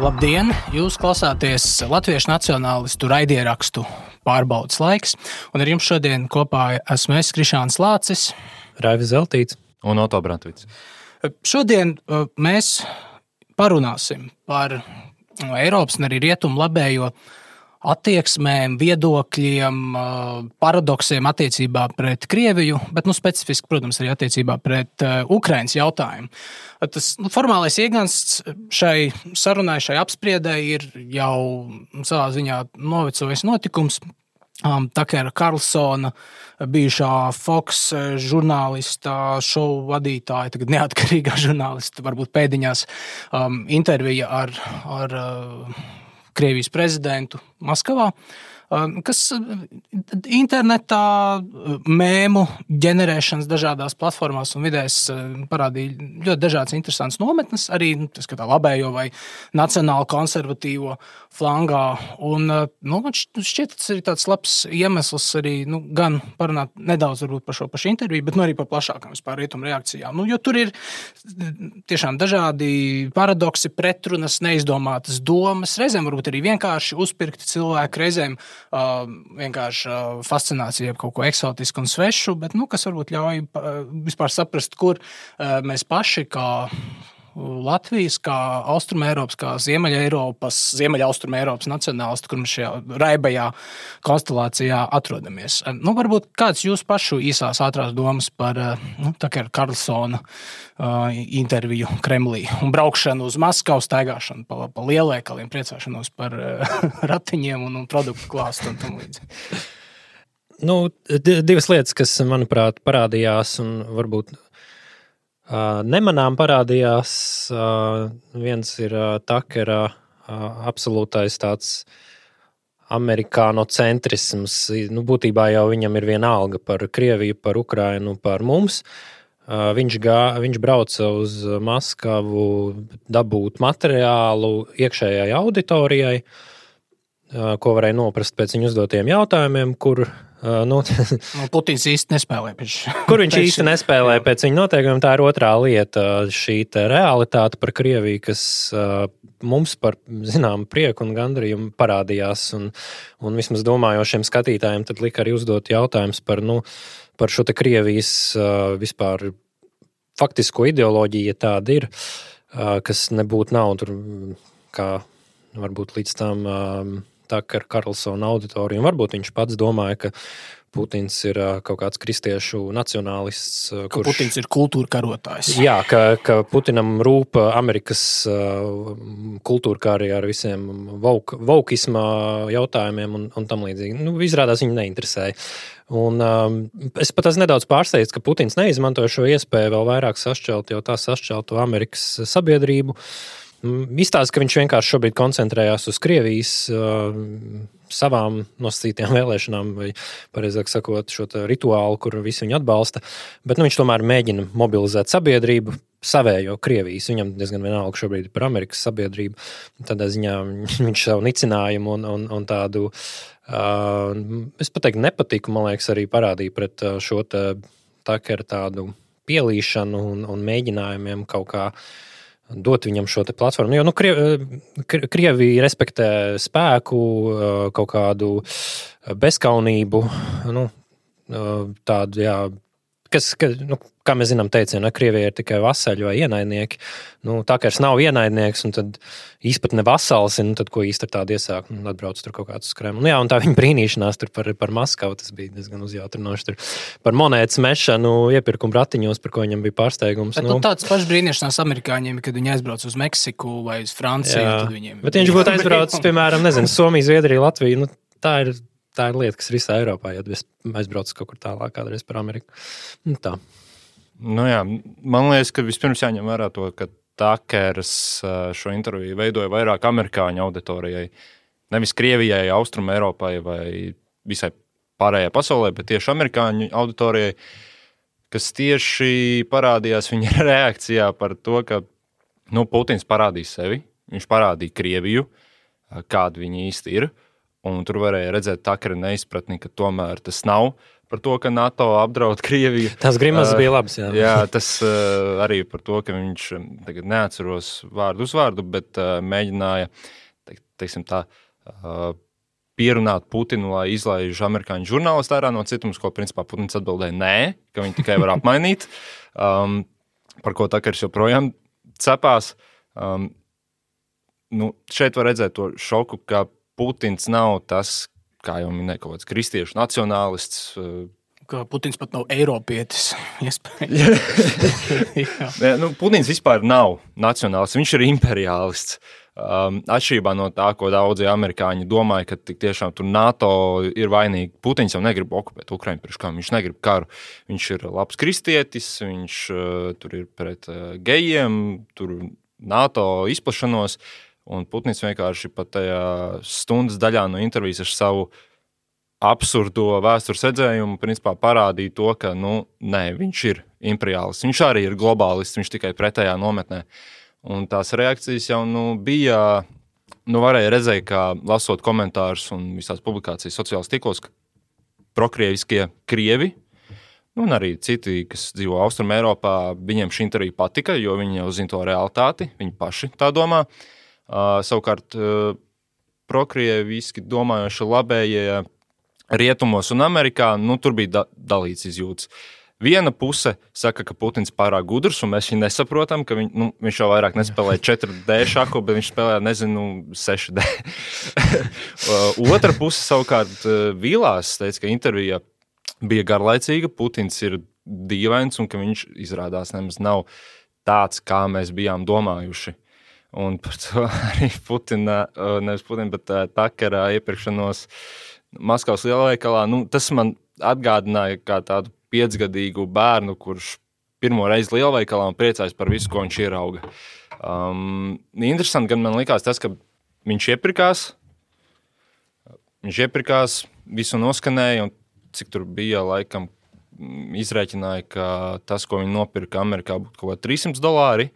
Labdien! Jūs klausāties Latviešu nacionālistu raidierakstu Pārbaudas laiks. Un ar jums šodien kopā esmu es, Krišāns Lācis, Raivis Zeltīts un Oto Brantvits. Šodien mēs parunāsim par Eiropas un arī rietumu labējo attieksmēm, viedokļiem, paradoksiem attiecībā pret Krieviju, bet specifiski, protams, arī attiecībā pret Ukrainas jautājumu. Tas formālais iegansts šai sarunai, šai apspriedai ir jau savā ziņā novecojis notikums. Takera Karlsona, bijušā Fox žurnālista, šovu vadītāja, tagad neatkarīgā žurnālista, varbūt pēdiņās intervija ar Krievijas prezidentu Maskavā, kas internetā mēmu ģenerēšanas dažādās platformās un vidēs parādīja ļoti dažādas interesantas nometnes, arī tā labējo vai nacionāli konservatīvo flangā. Un man šķiet, tas ir tāds labs iemesls arī gan parunāt nedaudz varbūt par šo pašu interviju, bet arī par plašākām vispār rietumu reakcijām. Jo tur ir tiešām dažādi paradoksi, pretrunas, neizdomātas domas, reizēm varbūt arī vienkārši uzpirkti cilvēki, reizēm vienkārši fascinācija kaut ko eksotisku un svešu, bet kas varbūt ļauj vispār saprast, kur mēs paši kā Latvijas, kā Austrumēropas, kā Ziemeļaustrumēropas nacionālisti, kur mēs šajā raibajā konstelācijā atrodamies. Varbūt kāds jūs pašu īsās ātrās domas par Takera Karlsona interviju Kremlī un braukšanu uz Maskavu, staigāšanu pa lielveikaliem, priecāšanos par ratiņiem un produktu klāstu un tam līdzi. Divas lietas, kas, manuprāt, parādījās un varbūt nemanām parādījās. Viens ir Takera absolūtais tāds amerikānocentrisms. Būtībā jau viņam ir viena alga par Krieviju, par Ukrainu, par mums. Viņš brauca uz Maskavu dabūt materiālu iekšējai auditorijai, ko varēja noprast pēc viņu uzdotiem jautājumiem, kur Putins īsti nespēlē kur viņš īsti nespēlē pēc viņa noteikumiem. Tā ir otrā lieta, šī realitāte par Krieviju, kas mums par zināmu prieku un gandarījumu parādījās. Un vismaz domājošiem skatītājiem tad lika arī uzdot jautājums par šo Krievijas vispār faktisko ideoloģiju, ja tāda ir, kas nebūtu nav tur, kā varbūt līdz tam Takera Karlsona auditoriju. Varbūt viņš pats domāja, ka Putins ir kaut kāds kristiešu nacionālists. Putins ir kultūra karotājs. Jā, ka Putinam rūp Amerikas kultūra kā arī ar visiem vokisma jautājumiem un tam līdzīgi. Izrādās viņi neinteresēja. Un es pat esmu nedaudz pārsteigts, ka Putins neizmantoja šo iespēju vēl vairāk sašķelt, jau tā sašķelto Amerikas sabiedrību. Izstāsta, ka viņš vienkārši šobrīd koncentrējās uz Krievijas savām nosacītajām vēlēšanām, vai pareizāk sakot, šo rituālu, kur visi viņu atbalsta. Bet viņš tomēr mēģina mobilizēt sabiedrību, savējo Krievijas. Viņam diezgan vienalga šobrīd par Amerikas sabiedrību. Tādā ziņā viņš savu nicinājumu un tādu, es pateiktu, nepatiku, man liekas, arī parādīja pret šo Takera tādu pielīšanu un mēģinājumiem kaut kā dot viņam šo platformu. Jo Krievija respektē spēku, kaut kādu bezkaunību, tādu, jā, kā mēs zinām teicienu, Krievija ir tikai vasaļi vai ienaidnieki. Takers nav ienaidnieks, un tad īsti ne vasals, un tad ko īsti ar tādu iesāk, atbrauc tur kaut kāds uz Kremlu. Jā, un tā viņa brīnīšanās tur par Maskavu, tas bija diezgan uzjautrinoši. Tur par monētas mešanu, iepirkumu ratiņos, par ko viņam bija pārsteigums. Bet tāds pašs brīnīšanās amerikāņiem, kad viņi aizbrauc uz Meksiku vai uz Franciju, tad viņiem... Bet viņš būtu aizbraucis, piemēram, Somiju, Zviedriju, Latviju, tā ir lieta, kas ir visā Eiropā, ja aizbrauc kaut kur tālāk kādreiz par Ameriku. Tā. Man liekas, ka vispirms jāņem vērā to, ka Takers šo interviju veidoja vairāk amerikāņu auditorijai, nevis Krievijai, Austrumēropai vai visai pārējai pasaulē, bet tieši amerikāņu auditorijai, kas tieši parādījās viņa reakcijā par to, ka Putins parādīja sevi, viņš parādīja Krieviju, kāda viņa īsti ir, un tur varēja redzēt Takera neizpratni, ka tomēr tas nav par to, ka NATO apdraud Krieviju. Tas grimas bija labs, jā. Jā, tas arī par to, ka viņš tagad neatceros vārdu uzvārdu, bet mēģināja, teiksim tā, pierunāt Putinu, lai izlaiž amerikāņu žurnālistu ārā no cietums, ko principā Putins atbildēja nē, ka viņi tikai var apmainīt, par ko Takers joprojām cepās. Šeit var redzēt to šoku, ka Putins nav tas, kā jau minēja, kaut kāds kristiešu nacionālists. Ka Putins pat nav eiropietis, Putins vispār nav nacionālists, viņš ir imperiālists. Atšķirībā no tā, ko daudzi amerikāņi domāja, ka tik tiešām tur NATO ir vainīgi. Putins jau negrib okupēt Ukrainu priekš kam, viņš negrib karu. Viņš ir labs kristietis, viņš tur ir pret gejiem, tur NATO izplašanos, un Putins vienkārši pat tajā stundas daļā no intervijas ar savu absurdo vēstures redzējumu principā parādīja to, ka, nē, viņš ir imperiālists, viņš arī ir globālists, viņš tikai pretējā nometnē. Un tās reakcijas jau bija, varēja redzēt, kā lasot komentārus un visās publikācijas sociālās tīklos, ka prokrieviskie krievi, un arī citi, kas dzīvo Austrum Eiropā, viņiem šī intervija patika, jo viņi jau zina to realitāti, viņi paši tā domā. Savukārt prokrieviski domājoši labējie rietumos un Amerikā, tur bija dalīts izjūtas. Viena puse saka, ka Putins pārāk gudrs, un mēs viņu nesaprotam, ka viņš jau vairāk nespēlē 4D šaku, bet viņš spēlē, 6D. Otra puse savukārt vīlās, teica, ka intervija bija garlaicīga, Putins ir dīvains, un ka viņš izrādās nemaz nav tāds, kā mēs bijām domājuši. Un par to arī nevis Putina, bet Takera iepirkšanos Maskavas lielveikalā, tas man atgādināja kā tādu 5-gadīgu bērnu, kurš pirmo reizi lielveikalā un priecājas par visu, ko viņš ierauga. Interesanti gan man likās tas, ka viņš iepirkās, visu noskanēja, un cik tur bija laikam izrēķināja, ka tas, ko viņi nopirka Amerikā, būtu kaut kā $300,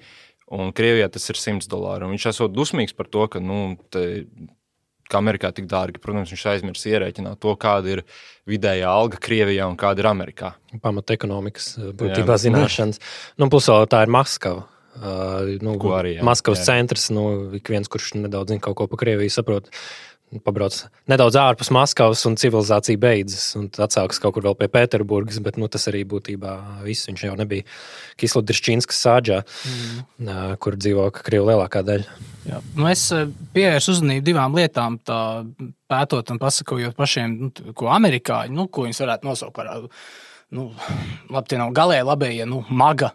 un Krievijā tas ir $100. Un viņš esot dusmīgs par to, ka Amerikā tik dārgi. Protams, viņš aizmirs ierēķināt to, kāda ir vidējā alga Krievijā un kāda ir Amerikā. Pamata ekonomikas būtībā zināšanas. Plus tā ir Maskava. Maskavas centrs, ik viens, kurš nedaudz zina kaut ko pa Krieviju, saprot, pabrauc nedaudz ārpus Maskavas un civilizācija beidzas, un atsākas kaut kur vēl pie Pēterburgas, bet tas arī būtībā viss. Viņš jau nebija Kislodrišķīnskas sādžā, kur dzīvo Krievu lielākā daļa. Jā. Es pievēršu uzmanību divām lietām, tā pētot un pasakojot pašiem, ko amerikāņi, ko viņus varētu nosaukt par labi, tie nav galēji labējie, maga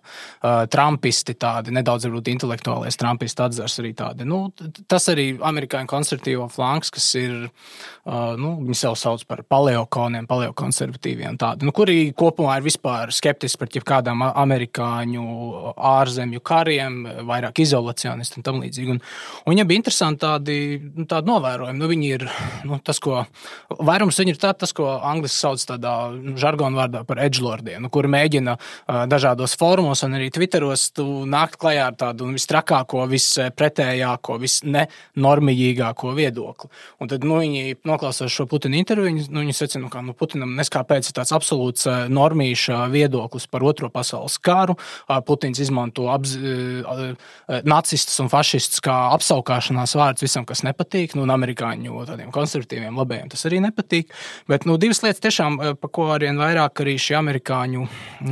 trampisti tādi, nedaudz varbūt intelektuālais trampisti atzars arī tādi. Tas arī amerikāņu konservatīvo flanks, kas ir, viņi sev sauc par paleokoniem, paleokonservatīviem tādi, kuri kopumā ir vispār skeptiski par jebkādām amerikāņu ārzemju kariem, vairāk izolacionisti un tam līdzīgi. Un viņiem bija interesanti tādi novērojumi. Viņi ir, tas, ko, vairums viņi ir tas, ko angliski sauc tādā žargonu vārdā par edgelordiem, kuri mēģina dažādos fórumos un arī Twitteros nākt klajā ar tādu vistrakāko, vispretējāko, visnenormīgāko viedokli. Un tad viņi noklausās šo Putina interviju, viņi secina, ka Putinam neskāpēc ir tāds absolūts normīša viedoklis par Otro pasaules karu. Putins izmanto nacistus un fašistus kā apsaukāšanās vārds visam, kas nepatīk, un amerikāņu tādiem konservatīviem labējiem tas arī nepatīk. Bet divas lietas tiešām, pa ko arvien vairāk arī šie amerikāņu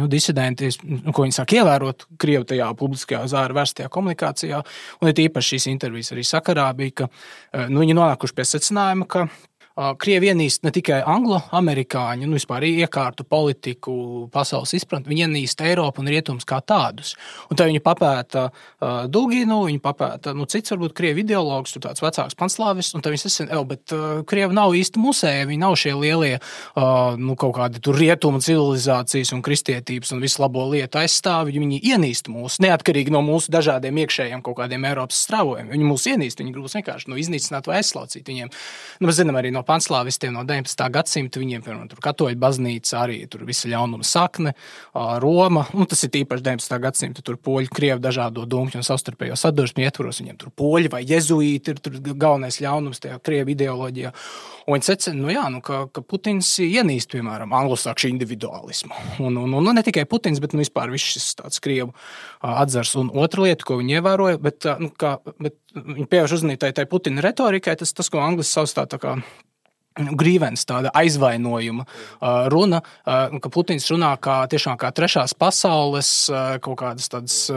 disidenti, ko viņi sāk ievērot Krievu tajā publiskajā zāra vērstajā komunikācijā, un ir īpaši šīs intervijas arī sakarā bija, ka viņi nonākuši pie secinājuma, ka Krievi ienīst ne tikai anglo-amerikāņu, vispār iekārtu politiku, pasaules izpratni, viņi ienīst Eiropu un rietumus kā tādus. Un tad viņi papēta Duginu, viņi papēta, cits varbūt Krievi ideologs, tur tāds vecāks panslāvis, un tad viņi sasina, bet Krievi nav īsti musēji, viņi nav šie lielie, kaut kādi tur rietumu civilizācijas un kristietības un visu labo lietu aizstāvi, viņi ienīst mūs, neatkarīgi no mūsu dažādiem iekšējiem kaut kādiem Eiropas strāvojumiem. Viņi mūs ienīst, viņi grūs vienkārši iznīcināt vai aizslaucīt viņiem. Mēs zinām arī no no panslāvistiem no 19. gadsimta, viņiem, piemēram, tur katoļu baznīca, arī tur visa ļaunuma sakne, Roma, tas ir īpaši 19. gadsimta, tur poļu, krievu dažādo dumķu un savstarpējo sadursmi ietvaros, viņiem tur poļi vai jezuīti ir tur galvenais ļaunums tajā krievu ideoloģijā. Un viņi secina, ka Putins ienīst, piemēram, anglosakšu individualismu. Un ne tikai Putins, bet vispār viss šis tāds krievu atzars. Un otra lieta, ko viņi ievēroja, bet viņi pievērš uzmanību tai Putina retorikai, tas, ko anglis sauc tā kā grīvens, tāda aizvainojuma runa, ka Putins runā tiešām kā trešās pasaules, kaut kādas tādas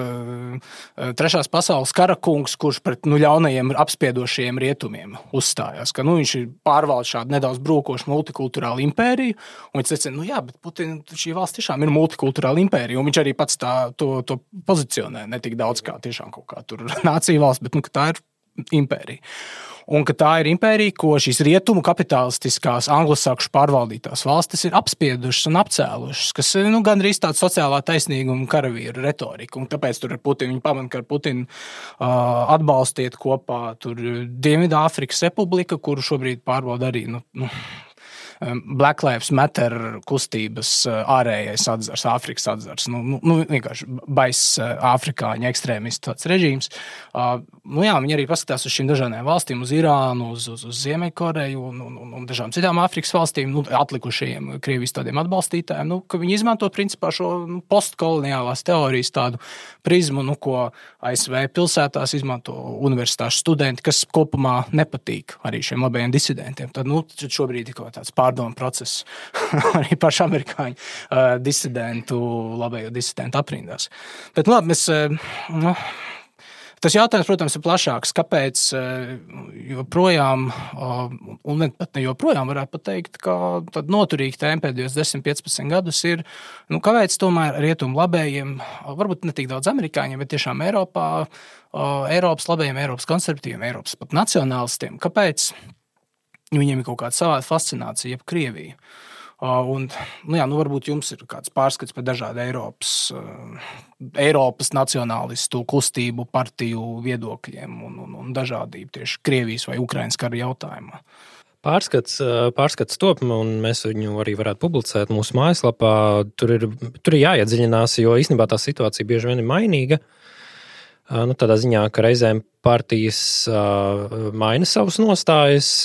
trešās pasaules karakungs, kurš pret ļaunajiem apspiedošajiem rietumiem uzstājās, ka viņš ir pārvalda šādu nedaudz brūkošu multikulturālu impēriju, un viņš secina, bet Putina šī valsts tiešām ir multikulturāla impērija, un viņš arī pats to pozicionē, ne tik daudz kā tiešām kaut kā tur nācija valsts, bet ka tā ir impērija. Un ka tā ir impērija, ko šīs rietumu kapitalistiskās anglosakšu pārvaldītās valstis ir apspiedušas un apcēlušas, kas gandrīz tāda sociālā taisnīguma karavīru retorika. Un tāpēc tur ar Putinu, viņi pamana, ka ar Putinu atbalstiet kopā tur Dienvidāfrikas republika, kuru šobrīd pārbauda arī Black Lives Matter kustības ārējais atzars, Āfrikas atzars. Vienkārši baiss afrikāņu ekstrēmistu tāds režīms. Viņi arī paskatās uz šīm dažādām valstīm, uz Irānu, uz Ziemeļkoreju un dažām citām Āfrikas valstīm, atlikušajiem Krievijas tādiem atbalstītājiem, ka viņi izmanto principā šo postkoloniālās teorijas tādu prizmu, ko ASV pilsētās izmanto universitāšu studenti, kas kopumā nepatīk arī šiem labajiem disidentiem. Tad šobrīd ir kaut tāds pārdomu process arī pašu amerikāņu disidentu, labējo disidentu aprindās. Bet mēs, tas jautājums, protams, ir plašāks. Kāpēc joprojām, un pat ne joprojām varētu pateikt, ka tad noturīgi tēma pēdējos 10-15 gadus ir, kāpēc tomēr rietumu labējiem, varbūt ne tik daudz amerikāņiem, bet tiešām Eiropas labējiem, Eiropas konservatīviem, Eiropas pat nacionālistiem, kāpēc viņiem ir kaut kāda savāda fascinācija, jeb Krievija. Varbūt jums ir kāds pārskats par dažādu Eiropas nacionālistu kustību, partiju viedokļiem un dažādību tieši Krievijas vai Ukrainas kara jautājumā. Pārskats top, un mēs viņu arī varētu publicēt mūsu mājaslapā. Tur ir jāiedziļinās, jo īstenībā tā situācija bieži vien ir mainīga. Tādā ziņā, ka reizēm partijas maina savus nostājas,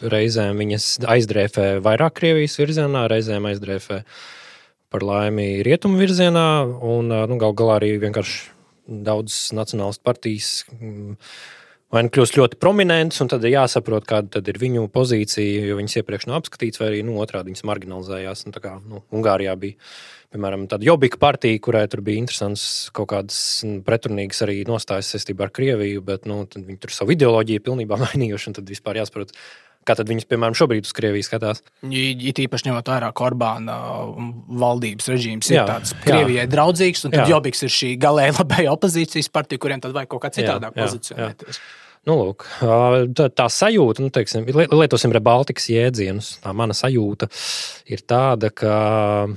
reizēm viņas aizdrēfē vairāk Krievijas virzienā, reizēm aizdrēfē par laimi rietumu virzienā, un gal galā arī vienkārši daudzas nacionālistu partijas vai kļūst ļoti prominentas, un tad ir jāsaprot, kāda tad ir viņu pozīcija, jo viņas iepriekš nav apskatīts, vai arī otrādi viņas marginalizējās. Tā kā Ungārijā bija, piemēram, tāda Jobbika partija, kurai tur bija interesants kaut kādas pretrunīgas arī nostājas saistībā ar Krieviju, bet tad viņi tur savu ideoloģiju pilnībā mainījuši, un tad vispār jāsaprot, kā tad viņas, piemēram, šobrīd uz Krieviju skatās. It īpaši ņemot vairāk Orbāna valdības režīms ir tāds Krievijai draudzīgs, un tad Jobbiks ir šī galēji labēja opozīcijas partija, kuriem tad vajag kaut kā citādāk pozicionēties. Lūk, tā sajūta, lietosim Rebaltikas jēdzienus, tā mana sajūta ir tāda, ka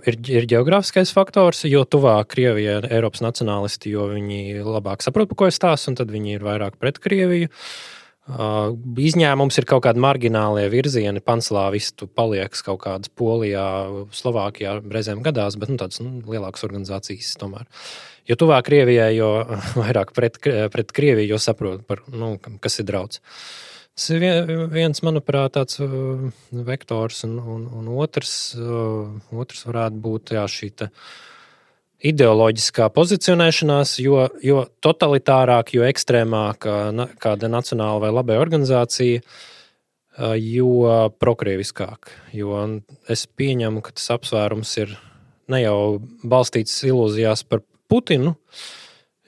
ir geogrāfiskais faktors, jo tuvāk Krievijai Eiropas nacionālisti, jo viņi labāk saprot, par ko es stāstu, un tad viņi ir vairāk pret Krieviju. Izņēmums ir kaut kādi marginālie virzieni, panslāvistu paliekas kaut kādas Polijā, Slovākijā reizēm gadās, bet tādas lielākas organizācijas tomēr. Jo tuvāk Krievijai, jo vairāk pret Krieviju, jo saprot, kas ir draudz. Tas ir viens, manuprāt, tāds vektors, un otrs varētu būt šī ideoloģiskā pozicionēšanās, jo totalitārāk, jo ekstrēmāk kāda nacionāla vai labēja organizācija, jo prokrieviskāk. Jo es pieņemu, ka tas apsvērums ir ne jau balstīts ilūzijās par Putinu,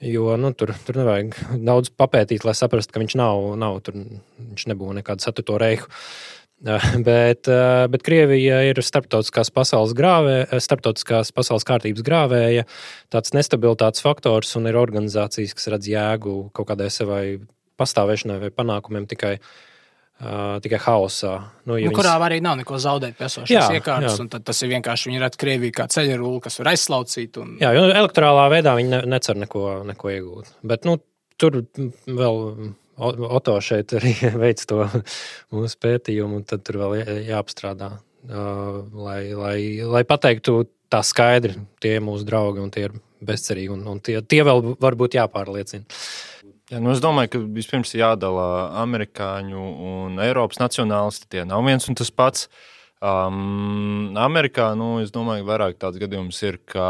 jo tur nevajag daudz papētīt, lai saprastu, ka viņš viņš nebūs nekādu Ceturto reihu. Bet Krievija ir starptautiskās pasaules kārtības grāvēja, tāds nestabilitātes faktors, un ir organizācijas, kas redz jēgu kaut kādai savai pastāvēšanai vai panākumiem tikai haosā. Kurā arī nav neko zaudēt pie esošās iekārtas, un tad tas ir vienkārši, viņi redz Krieviju kā ceļarūli, kas var aizslaucīt. Jā, jo elektorālā veidā viņi necer neko iegūt. Bet tur vēl Oto šeit arī veic to mūsu pētījumu, un tad tur vēl jāapstrādā, lai pateiktu tā skaidri, tie ir mūsu draugi un tie ir bezcerīgi, un tie vēl varbūt jāpārliecina. Jā, es domāju, ka vispirms jādala amerikāņu un Eiropas nacionālisti, tie nav viens un tas pats. Amerikā, es domāju, vairāk tāds gadījums ir, ka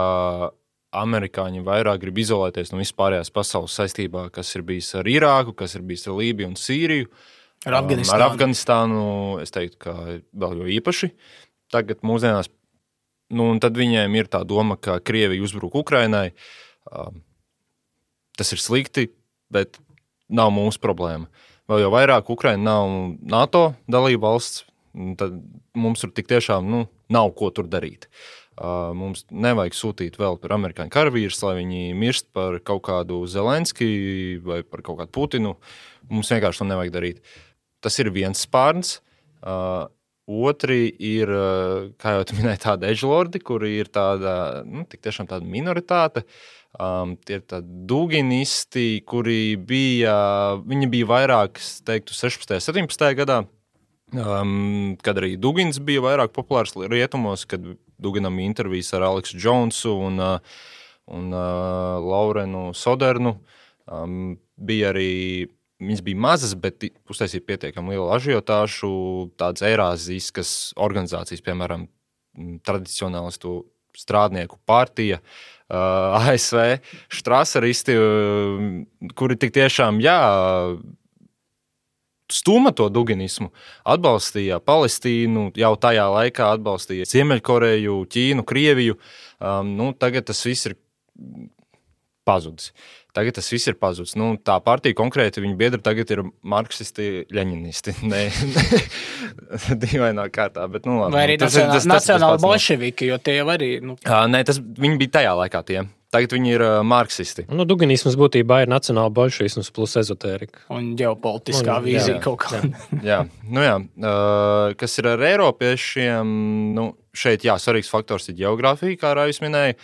amerikāņi vairāk grib izolēties no vispārējās pasaules saistībā, kas ir bijis ar Irāku, kas ir bijis ar Lībiju un Sīriju. Ar Afganistānu, es teiktu, ka vēl jo īpaši. Tagad mūsdienās, un tad viņiem ir tā doma, ka Krievija uzbruk Ukrainai. Tas ir slikti, bet nav mūsu problēma. Vēl jau vairāk Ukraina nav NATO dalība valsts, tad mums tur tik tiešām nav ko tur darīt. Mums nevajag sūtīt vēl par amerikāņu karavīrus, lai viņi mirst par kaut kādu Zelenski vai par kaut kādu Putinu. Mums vienkārši to nevajag darīt. Tas ir viens spārns. Otri ir, kā jau tu minēji, tādi edgelordi, kuri ir tāda, tik tiešām tāda minoritāte. Tie ir tādi duginisti, kuri viņi bija vairāk, es teiktu, 16. 17. gadā, kad arī Dugins bija vairāk populārs rietumos, kad Duginam intervijas ar Aleksu Džonsu un Laurenu Sodernu. Bija arī, viņas bija mazas, bet uztaisīja pietiekami lielu ažiotāšu, tādas eirāziskas organizācijas, piemēram, tradicionālistu strādnieku partija, ASV, štraseristi, kuri tik tiešām, stūma to duginismu, atbalstīja Palestīnu, jau tajā laikā atbalstīja Ziemeļkoreju, Ķīnu, Krieviju. Tagad tas viss ir pazudis. Tā partija konkrēti, viņa biedri tagad ir marksisti, ļeņinisti. Dīvainā kārtā, bet labi. Vai arī nacionāli bolševiki, jo tie jau arī... Nē, viņi bija tajā laikā tie. Tagad viņi ir marksisti. Duginisms būtībā ir nacionāla bolševisms plus ezotērika. Un ģeopolitiskā vīzija kaut kā. Jā. Kas ir ar eiropiešiem, šeit, svarīgs faktors ir ģeogrāfija, kā Raivis minēja.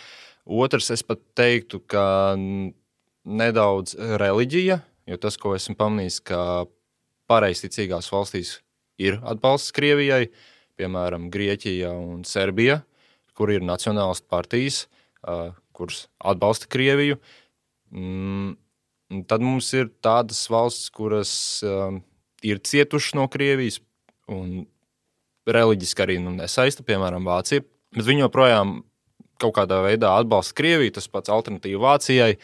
Otrs, es pat teiktu, ka nedaudz reliģija, jo tas, ko esmu pamanījis, ka pareizticīgās valstīs ir atbalsts Krievijai, piemēram, Grieķija un Serbija, kur ir nacionālistu partijas, kuras atbalsta Krieviju. Tad mums ir tādas valsts, kuras ir cietušas no Krievijas un reliģiski arī nesaista, piemēram, Vācija, bet viņi joprojām kaut kādā veidā atbalsta Krieviju, tas pats alternatīva Vācijai,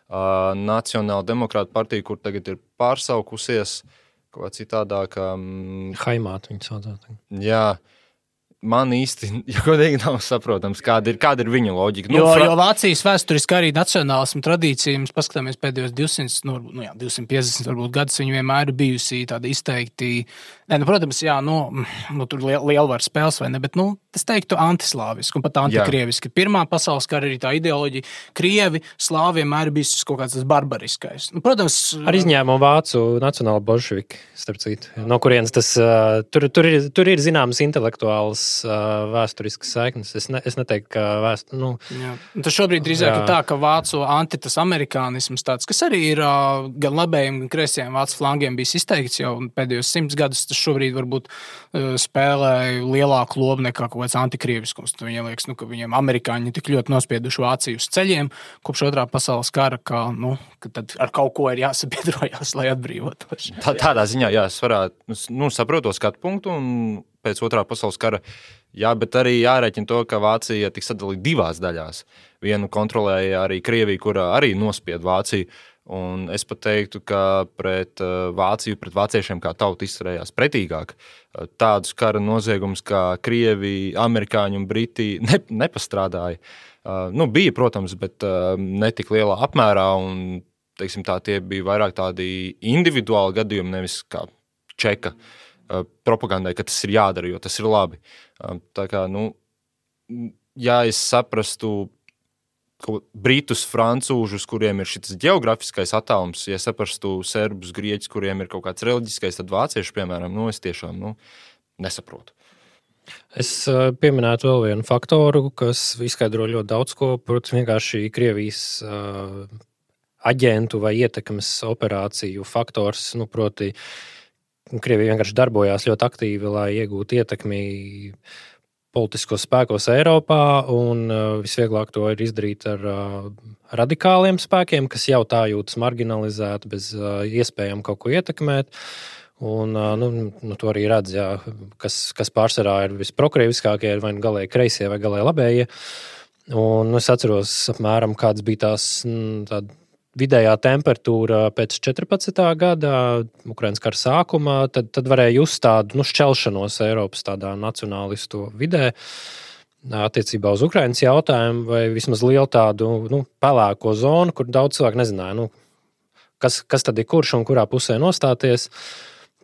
Nacionāla demokrāta partija, kur tagad ir pārsaukusies kaut kā citādāk. Haimāt viņi saucās. Jā. Man īsti, godīgi nav saprotams, kāda ir viņa loģika. Jo Vācijas vēsturiski arī nacionālismu tradīcija, mēs paskatāmies pēdējos 200, 250 varbūt gadus, viņi vienmēr ir bijusi tāda izteikti, protams, tur lielvaru spēles vai ne, bet, es teiktu antislāviski un pat antikrieviski. Pirmā pasaules kara arī tā ideoloģija, Krievi, slāvi vienmēr ir bijis kaut kāds tas barbariskais. Protams, ar izņēmumu vācu nacionāla bolševiki, starp citu, no kurienes tas, tur ir zināmas intelektuālas vēsturiskas saiknes. Es neteiktu, ka Tas šobrīd drīzāk ir tā, ka vācu tas amerikānisms tāds, kas arī ir gan labējiem, gan kreisajiem vācu flangiem bijis izteikts jau pēdējos 100 gadus, tas šobrīd varbūt spēlē lielāku lomu nekā kaut kāds antikrieviskums. Viņiem liekas, ka viņiem amerikāņi tik ļoti nospieduši Vāciju uz ceļiem kopš otrā pasaules kara, ka tad ar kaut ko ir jāsabiedrojās, lai atbrīvotos. Tādā ziņā, es varētu, saprotu skatu punktu un pēc otrā pasaules kara, bet arī jārēķina to, ka Vācija tiks sadalīta divās daļās. Vienu kontrolēja arī Krievija, kura arī nospied Vāciju, un es pat teiktu, ka pret Vāciju, pret vāciešiem kā tautu izturējās pretīgāk. Tādus kara noziegumus kā Krievi, amerikāņi un briti nepastrādāja. Bija, protams, bet netik lielā apmērā, un teiksim tā, tie bija vairāk tādi individuāli gadījumi, nevis kā čeka propagandai, ka tas ir jādara, jo tas ir labi. Tā kā, ja es saprastu britus, francūžus, kuriem ir šis geogrāfiskais attālums, ja saprastu serbus, grieķus, kuriem ir kaut kāds reliģiskais, tad vācieši, piemēram, es tiešām nesaprotu. Es pieminētu vēl vienu faktoru, kas izskaidro ļoti daudz ko, protams, vienkārši Krievijas aģentu vai ietekmes operāciju faktors, proti, Krievija vienkārši darbojās ļoti aktīvi, lai iegūtu ietekmi politiskos spēkos Eiropā, un visvieglāk to ir izdarīt ar radikāliem spēkiem, kas jau tā jūtas marginalizēti, bez iespējām kaut ko ietekmēt. Un, to arī redz, jā, kas pārsvarā ir visprokrieviskākie, vai galēji kreisie vai galēji labējie. Un es atceros apmēram, kāds bija tāda vidējā temperatūra pēc 14. gada Ukrainas kara sākumā, tad varēja just tādu šķelšanos Eiropas tādā nacionālistu vidē attiecībā uz Ukrainas jautājumu, vai vismaz lielu tādu pelēko zonu, kur daudz cilvēku nezināja, kas tad ir kurš un kurā pusē nostāties.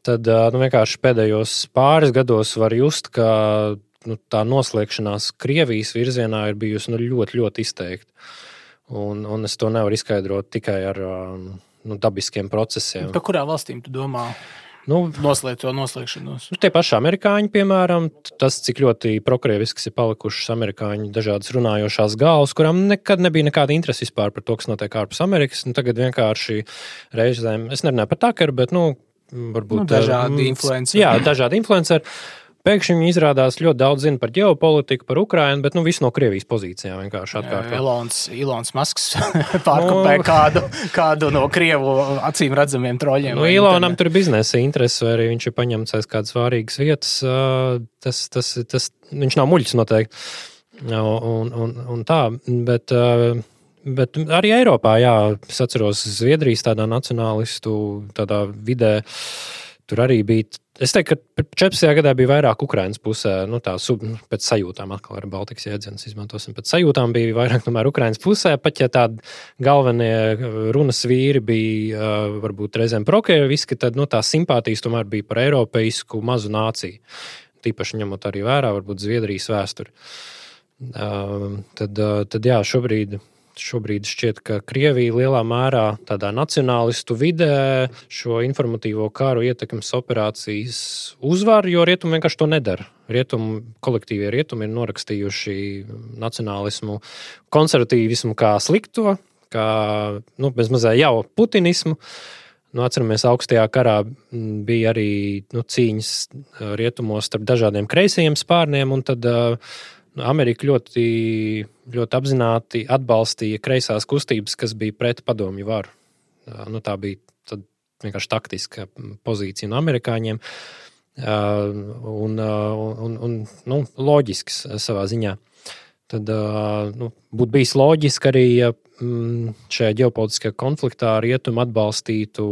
Tad vienkārši pēdējos pāris gados var just, ka tā noslēgšanās Krievijas virzienā ir bijusi ļoti, ļoti izteikta. Un es to nevaru izskaidrot tikai ar dabiskiem procesiem. Par kurām valstīm tu domā? Noslēgt to noslēgšanos. Tie paši amerikāņi, piemēram, tas, cik ļoti prokrievisks ir palikušas amerikāņu dažādas runājošās galvas, kurām nekad nebija nekāda interese vispār par to, kas notiek ārpus Amerikas. Tagad vienkārši reizēm, es nerunāju par Tuckeru, bet, varbūt dažādi influenceri. Jā, dažādi influenceri. Pēkšņi viņi izrādās ļoti daudz zina par ģeopolitiku, par Ukrainu, bet visu no Krievijas pozīcijām vienkārši atkārto. Ilons Masks pārkopē kādu no Krievu acīm redzamiem troļiem. Ilonam tur ir biznesa interese, vai arī viņš ir paņemts aiz kādas svārīgas vietas. Tas viņš nav muļķis noteikti. Un tā, bet arī Eiropā, jā, es atceros Zviedrijas tādā nacionālistu tādā vidē, tur arī bija. Es teiktu, ka 14. gadā bija vairāk Ukrainas pusē, pēc sajūtām, atkal ar Baltikas jēdzienus izmantosim, pēc sajūtām bija vairāk tomēr Ukrainas pusē, pat ja tādi galvenie runas vīri bija varbūt reizēm prokrieviski, tad tā simpātijas tomēr bija par eiropeisku mazu nāciju. Tīpaši ņemot arī vērā, varbūt Zviedrijas vēsturi. Tad jā, šobrīd šķiet, ka Krievija lielā mērā tādā nacionālistu vidē šo informatīvo karu ietekmes operācijas uzvar, jo rietumi vienkārši to nedara. Kolektīvie rietumi ir norakstījuši nacionālismu, konservatīvismu kā slikto, kā bezmazē jau putinismu. Atceramies, augstajā karā bija arī cīņas rietumos starp dažādiem kreisajiem spārniem, un tad Amerika ļoti, ļoti apzināti atbalstīja kreisās kustības, kas bija pret padomju varu. Tā bija tad vienkārši taktiska pozīcija no amerikāņiem un loģisks savā ziņā. Tad būtu bijis loģiski arī, ja šajā ģeopolitiskajā konfliktā rietumi atbalstītu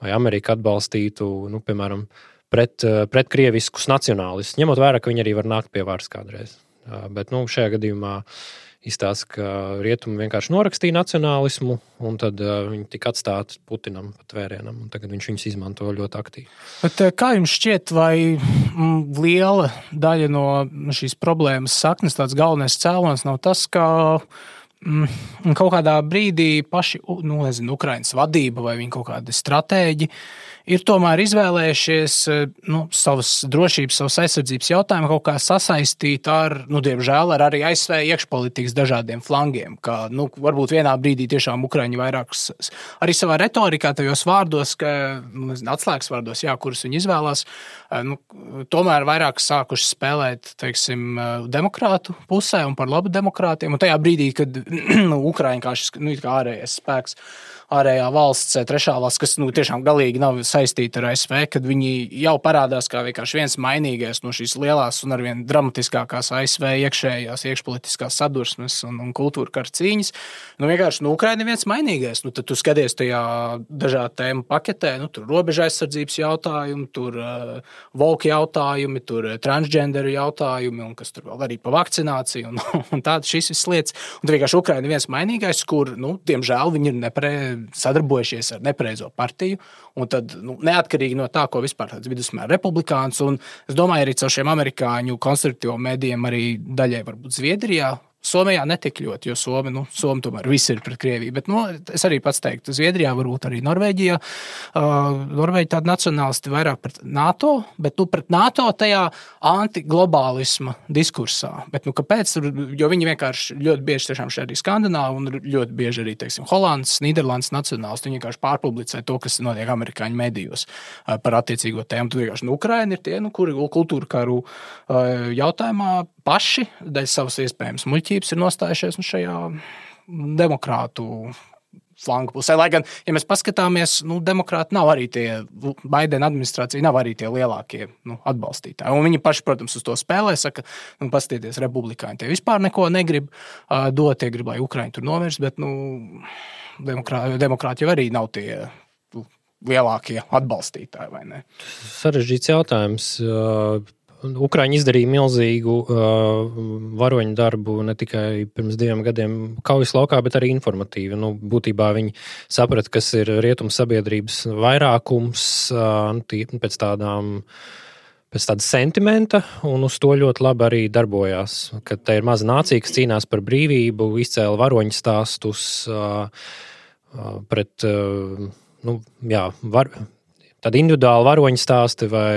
vai Amerika atbalstītu, piemēram, pret krieviskus nacionālistus, ņemot vērā, ka viņi arī var nākt pie varas kādreiz. Bet šajā gadījumā izstāsta, ka rietumi vienkārši norakstīja nacionālismu, un tad viņi tika atstāti Putinam pat vērienam, un tagad viņš viņus izmanto ļoti aktīvi. Bet kā jums šķiet, vai liela daļa no šīs problēmas saknes, tāds galvenais cēlonis nav tas, ka kaut kādā brīdī paši, Ukrainas vadība vai viņi kaut kādi stratēģi ir tomēr izvēlējušies savas drošības, savas aizsardzības jautājumu kaut kā sasaistīt ar, diemžēl, ar arī ASV iekšpolitikas dažādiem flangiem, ka, varbūt vienā brīdī tiešām Ukraiņi vairāk arī savā retorikā, tajos vārdos, ka, atslēgas vārdos, jā, kurus viņi izvēlās, tomēr vairāk sākuši spēlēt, teiksim, demokrātu pusē un par labu demokrātiem, un tajā brīdī, kad Ukraiņi kā šis, kā ārējais spēks, ārējā valsts, trešā valsts, kas tiešām galīgi nav saistīta ar ASV, kad viņi jau parādās kā vienkārši viens mainīgais no šīs lielās un arvien dramatiskākās ASV iekšpolitiskās sadursmes un kultūra kara cīņas. Vienkārši Ukraina ir viens mainīgais. Tad tu skaties tajā dažādu tēmu paketē, tur robeža aizsardzības jautājumi, tur woke jautājumi, tur transgenderu jautājumi un kas tur vēl arī pa vakcināciju un tādas šīs visas lietas. Un tad vienkārši Ukraina ir viens mainīgais, kur, diemžēl, viņi ir sadarbojušies ar nepareizo partiju, un tad neatkarīgi no tā, ko vispār tāds vidusmēra republikāns, un es domāju arī caur šiem amerikāņu konservatīvo mēdījiem arī daļai varbūt Zviedrijā Somijā netik ļoti, jo Somi tomēr viss ir pret Krieviju. Bet es arī pats teiktu, Zviedrijā, varbūt arī Norvēģijā. Norvēģija tāda nacionālisti vairāk pret NATO, bet pret NATO tajā antiglobālisma diskursā. Bet kāpēc? Jo viņi vienkārši ļoti bieži tiešām šeit arī Skandināvi un ļoti bieži arī, teiksim, Holandas, Nīderlandes nacionālisti. Viņi vienkārši pārpublicē to, kas notiek amerikāņu medijos par attiecīgo tēmu. Tur vienkārši Ukraina ir tie, kuri kultūra karu jautājumā paši dēļ savas iespējams muļķības ir nostājušies šajā demokrātu flangu pusē. Lai gan, ja mēs paskatāmies, demokrāti nav arī tie, Baidena administrācija nav arī tie lielākie atbalstītāji. Un viņi paši, protams, uz to spēlē, saka, paskatieties, republikāņi tie vispār neko negrib dot, tie grib, lai Ukraiņi tur nomirst, bet demokrāti jau arī nav tie lielākie atbalstītāji, vai ne? Sarežģīts jautājums. Ukraiņi izdarīja milzīgu varoņu darbu ne tikai pirms 2 gadiem kaujas laukā, bet arī informatīvi. Būtībā viņi saprata, kas ir rietumu sabiedrības vairākums pēc tāda sentimenta, un uz to ļoti labi arī darbojās. Kad te ir maza nācija, kas cīnās par brīvību, izcēla varoņu stāstus pret, tādi individuāli varoņu stāsti vai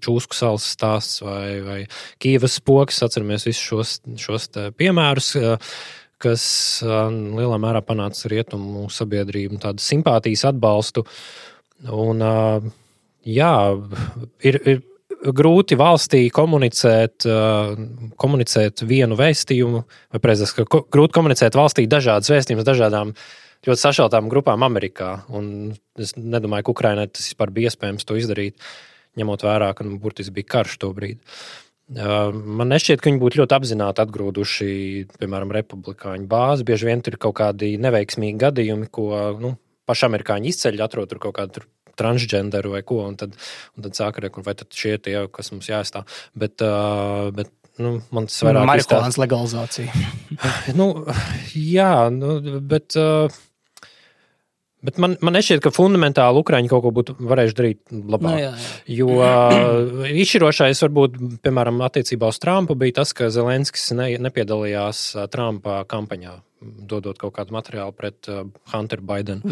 Čūsku salas stāsts vai Kīvas spoks, atceramies visus šos piemērus, kas lielā mērā panāca rietumu sabiedrību tādu simpātijas atbalstu. Un ir grūti valstī komunicēt vienu vēstījumu, vai precīzāk, ka grūti komunicēt valstī dažādas vēstījumus dažādām ļoti sašķeltām grupām Amerikā, un es nedomāju, ka Ukrainai tas vispār bija iespējams to izdarīt, ņemot vērā, ka burtiski bija karš to brīdi. Man nešķiet, ka viņi būtu ļoti apzināti atgrūduši, piemēram, republikāņu bāzi. Bieži vien tur ir kaut kādi neveiksmīgi gadījumi, ko paši amerikāņi izceļ, atrod tur kaut kādu transgenderu vai ko, un tad sāka rekt, vai tad šie tie, kas mums jāaizstāv. Bet man tas vairāk marihuānas legalizācija. Bet man nešķiet, ka fundamentāli Ukraiņi kaut ko būtu varējuši darīt labāk. Jo izšķirošais varbūt, piemēram, attiecībā uz Trumpu bija tas, ka Zelenskis nepiedalījās Trumpa kampaņā, dodot kaut kādu materiālu pret Hunteru Baidenu.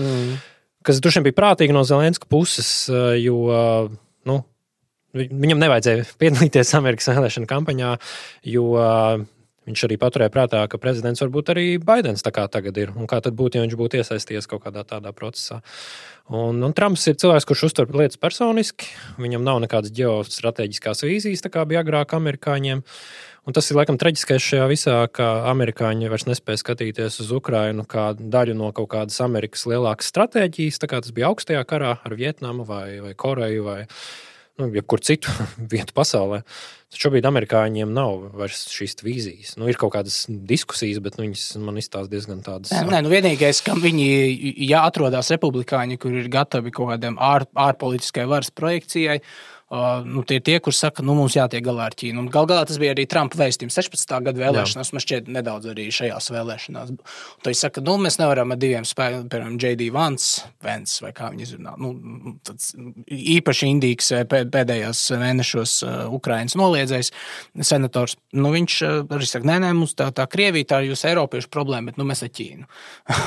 Kas droši vien bija prātīgi no Zelenska puses, jo, viņam nevajadzēja piedalīties Amerikas vēlēšana kampaņā, jo viņš arī paturēja prātā, ka prezidents varbūt arī Baidens tā kā tagad ir. Un kā tad būtu, ja viņš būtu iesaistījies kaut kādā tādā procesā. Un Trumps ir cilvēks, kurš uztver lietas personiski. Viņam nav nekādas ģeostrateģiskās vīzijas, tā kā bija agrāk amerikāņiem. Un tas ir laikam traģiskais šajā visā, ka amerikāņi vairs nespēja skatīties uz Ukrainu kā daļu no kaut kādas Amerikas lielākas stratēģijas, tā kā tas bija augstajā karā ar Vietnamu vai Koreju vai jebkur citu vietu pasaulē. Tad šobrīd amerikāņiem nav vairs šīs vīzijas. Ir kaut kādas diskusijas, bet viņas man izstāsta diezgan tādas. Vienīgais, kam viņi, ja atrodas republikāņi, kur ir gatavi kaut kādiem ārpolitiskai varas projekcijai, tie ir tie, kur saka, mums jātiek galā ar Ķīnu. Un galā tas bija arī Trumpa vēstījums 16. gada vēlēšanās, man šķiet nedaudz arī šajās vēlēšanās. Un tad viņš saka, mēs nevaram ar diviem spēkiem, piemēram, J.D. Vance, vai kā viņi izrunā, tāds īpaši indīgs pēdējās mēnešos Ukrainas noliedzējs senators. Viņš arī saka, nē, mums tā Krievija, tā ir jūs eiropiešu problēma, bet mēs ar Ķīnu.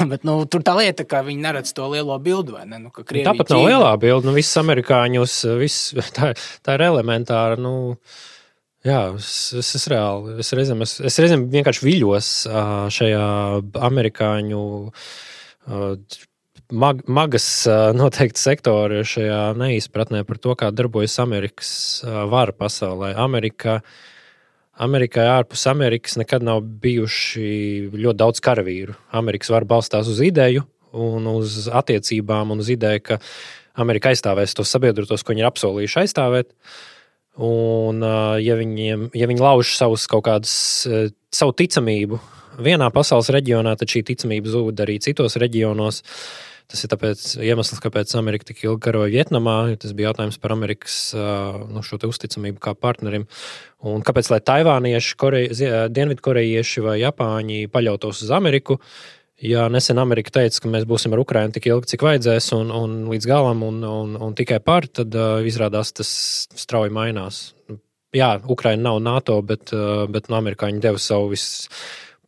Bet tur tā lieta, ka viņi neredz to lielo bildu, vai ne? Ka Krievija, tāpat nav lielā bilde, viss amerikāņus, tā ir elementāra, es reāli, es reizēm vienkārši viļos šajā amerikāņu magas noteikti sektori šajā neizpratnē par to, kā darbojas Amerikas vara pasaulē. Amerikai ārpus Amerikas nekad nav bijuši ļoti daudz karavīru. Amerikas vara balstās uz ideju un uz attiecībām un uz ideju, ka Amerika aizstāvēs tos sabiedrotos, ko viņi ir apsolījuši aizstāvēt. Un, ja viņi lauž savu ticamību vienā pasaules reģionā, tad šī ticamība zūd arī citos reģionos. Tas ir tāpēc iemesls, kāpēc Amerika tik ilgi karoja Vietnamā. Tas bija jautājums par Amerikas šo te uzticamību kā partnerim. Un kāpēc, lai taivānieši, dienvidkorejieši vai japāņi paļautos uz Ameriku, ja nesen Amerika teica, ka mēs būsim ar Ukrainu tik ilgi, cik vajadzēs un līdz galam un tikai par, tad izrādās tas strauji mainās. Jā, Ukraina nav NATO, bet amerikāņi deva savu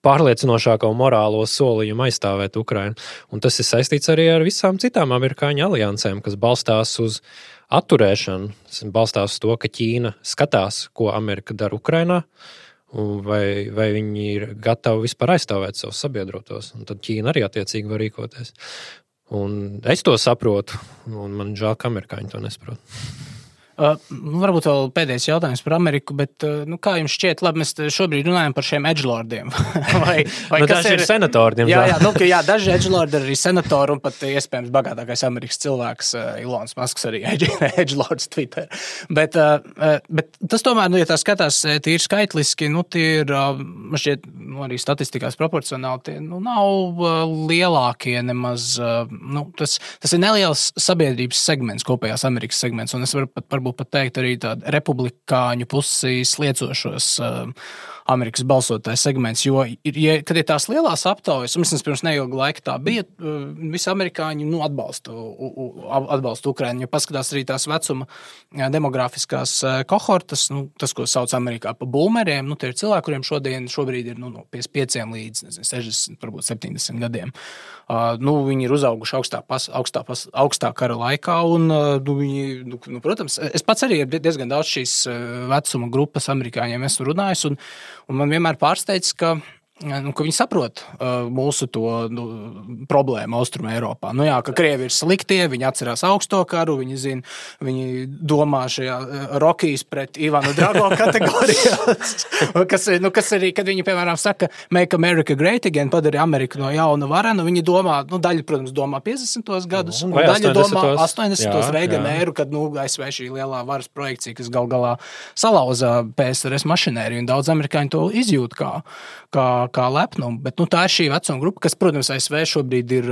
pārliecinošāko morālo solījumu aizstāvēt Ukrainu. Un tas ir saistīts arī ar visām citām amerikāņu aliansēm, kas balstās uz atturēšanu, balstās uz to, ka Ķīna skatās, ko Amerika dara Ukrainā, vai viņi ir gatavi vispār aizstāvēt savus sabiedrotos. Un tad Ķīna arī attiecīgi var rīkoties. Un es to saprotu, un man žēl, ka amerikāņi to nesaprot. Varbūt vēl pēdējais jautājums par Ameriku, bet kā jums šķiet, labi, mēs šobrīd runājam par šiem edgelordiem. vai daži ir senatori, diemžēl. Jā, daži edgelordi ir arī senatori un pat iespējams bagātākais Amerikas cilvēks, Ilons Masks arī edgelords Twitter. Bet tas tomēr, ja tā skatās tīri skaitliski, tie ir, man šķiet, arī statistikās proporcionāli, tie nav lielākie nemaz, tas ir neliels sabiedrības segments, kopējās Amerikas segments, un es varu varbūt pat teikt arī tādu republikāņu pusi sliecošos Amerikas balsotāju segments, jo, kad ir tās lielās aptaujas, un vismaz pirms neilga laika tā bija, visi amerikāņi atbalsta Ukrainu, jo paskatās arī tās vecuma demografiskās kohortas, tas, ko sauc Amerikā pa boomeriem, tie ir cilvēki, kuriem šobrīd ir no 55 līdz 60, varbūt 70 gadiem. Viņi ir uzauguši augstā kara laikā, un viņi, protams, es pats arī diezgan daudz šīs vecuma grupas amerikāņiem esmu runājis, un man vienmēr pārsteidz, ka viņi saprot mūsu to problēmu Austrum Eiropā. Ka Krievi ir sliktie, viņi atcerās augsto karu, viņi domā šajā Rokijas pret Ivanu Drago kategorijās, kas arī, kad viņi, piemēram, saka Make America Great Again, padara Ameriku no jauna varenu, viņi domā, daļa, protams, domā 50. gadus, un daļa domā 80. Reigana éru, kad, ASV šī lielā varas projekcija, kas galā salauza PSRS mašinēriju, un daudz amerikāņu to izjūt kā lepnumu, bet tā ir šī vecuma grupa, kas, protams, ASV šobrīd ir,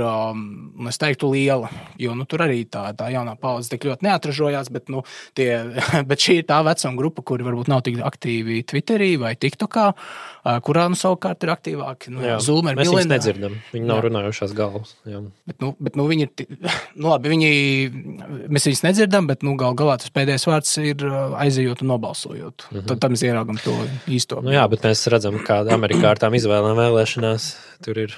es teiktu, liela, jo tur arī tā jaunā paudze tik ļoti neatražojās, bet šī ir tā vecuma grupa, kuri varbūt nav tik aktīvi Twitterī vai TikTokā, kurā savukārt ir aktīvāki. Zoomer, mēs viņus nedzirdam, viņi nav runājušās galvas. Jā. Bet viņi ir, labi, mēs viņus nedzirdam, bet galā tas pēdējais vārds ir aizejot un nobalsojot. Tad mēs ieraugam to īsto. Jā, bet mēs redzam, kā Amerikā ar tām izvēlēm vēlēšanās, tur ir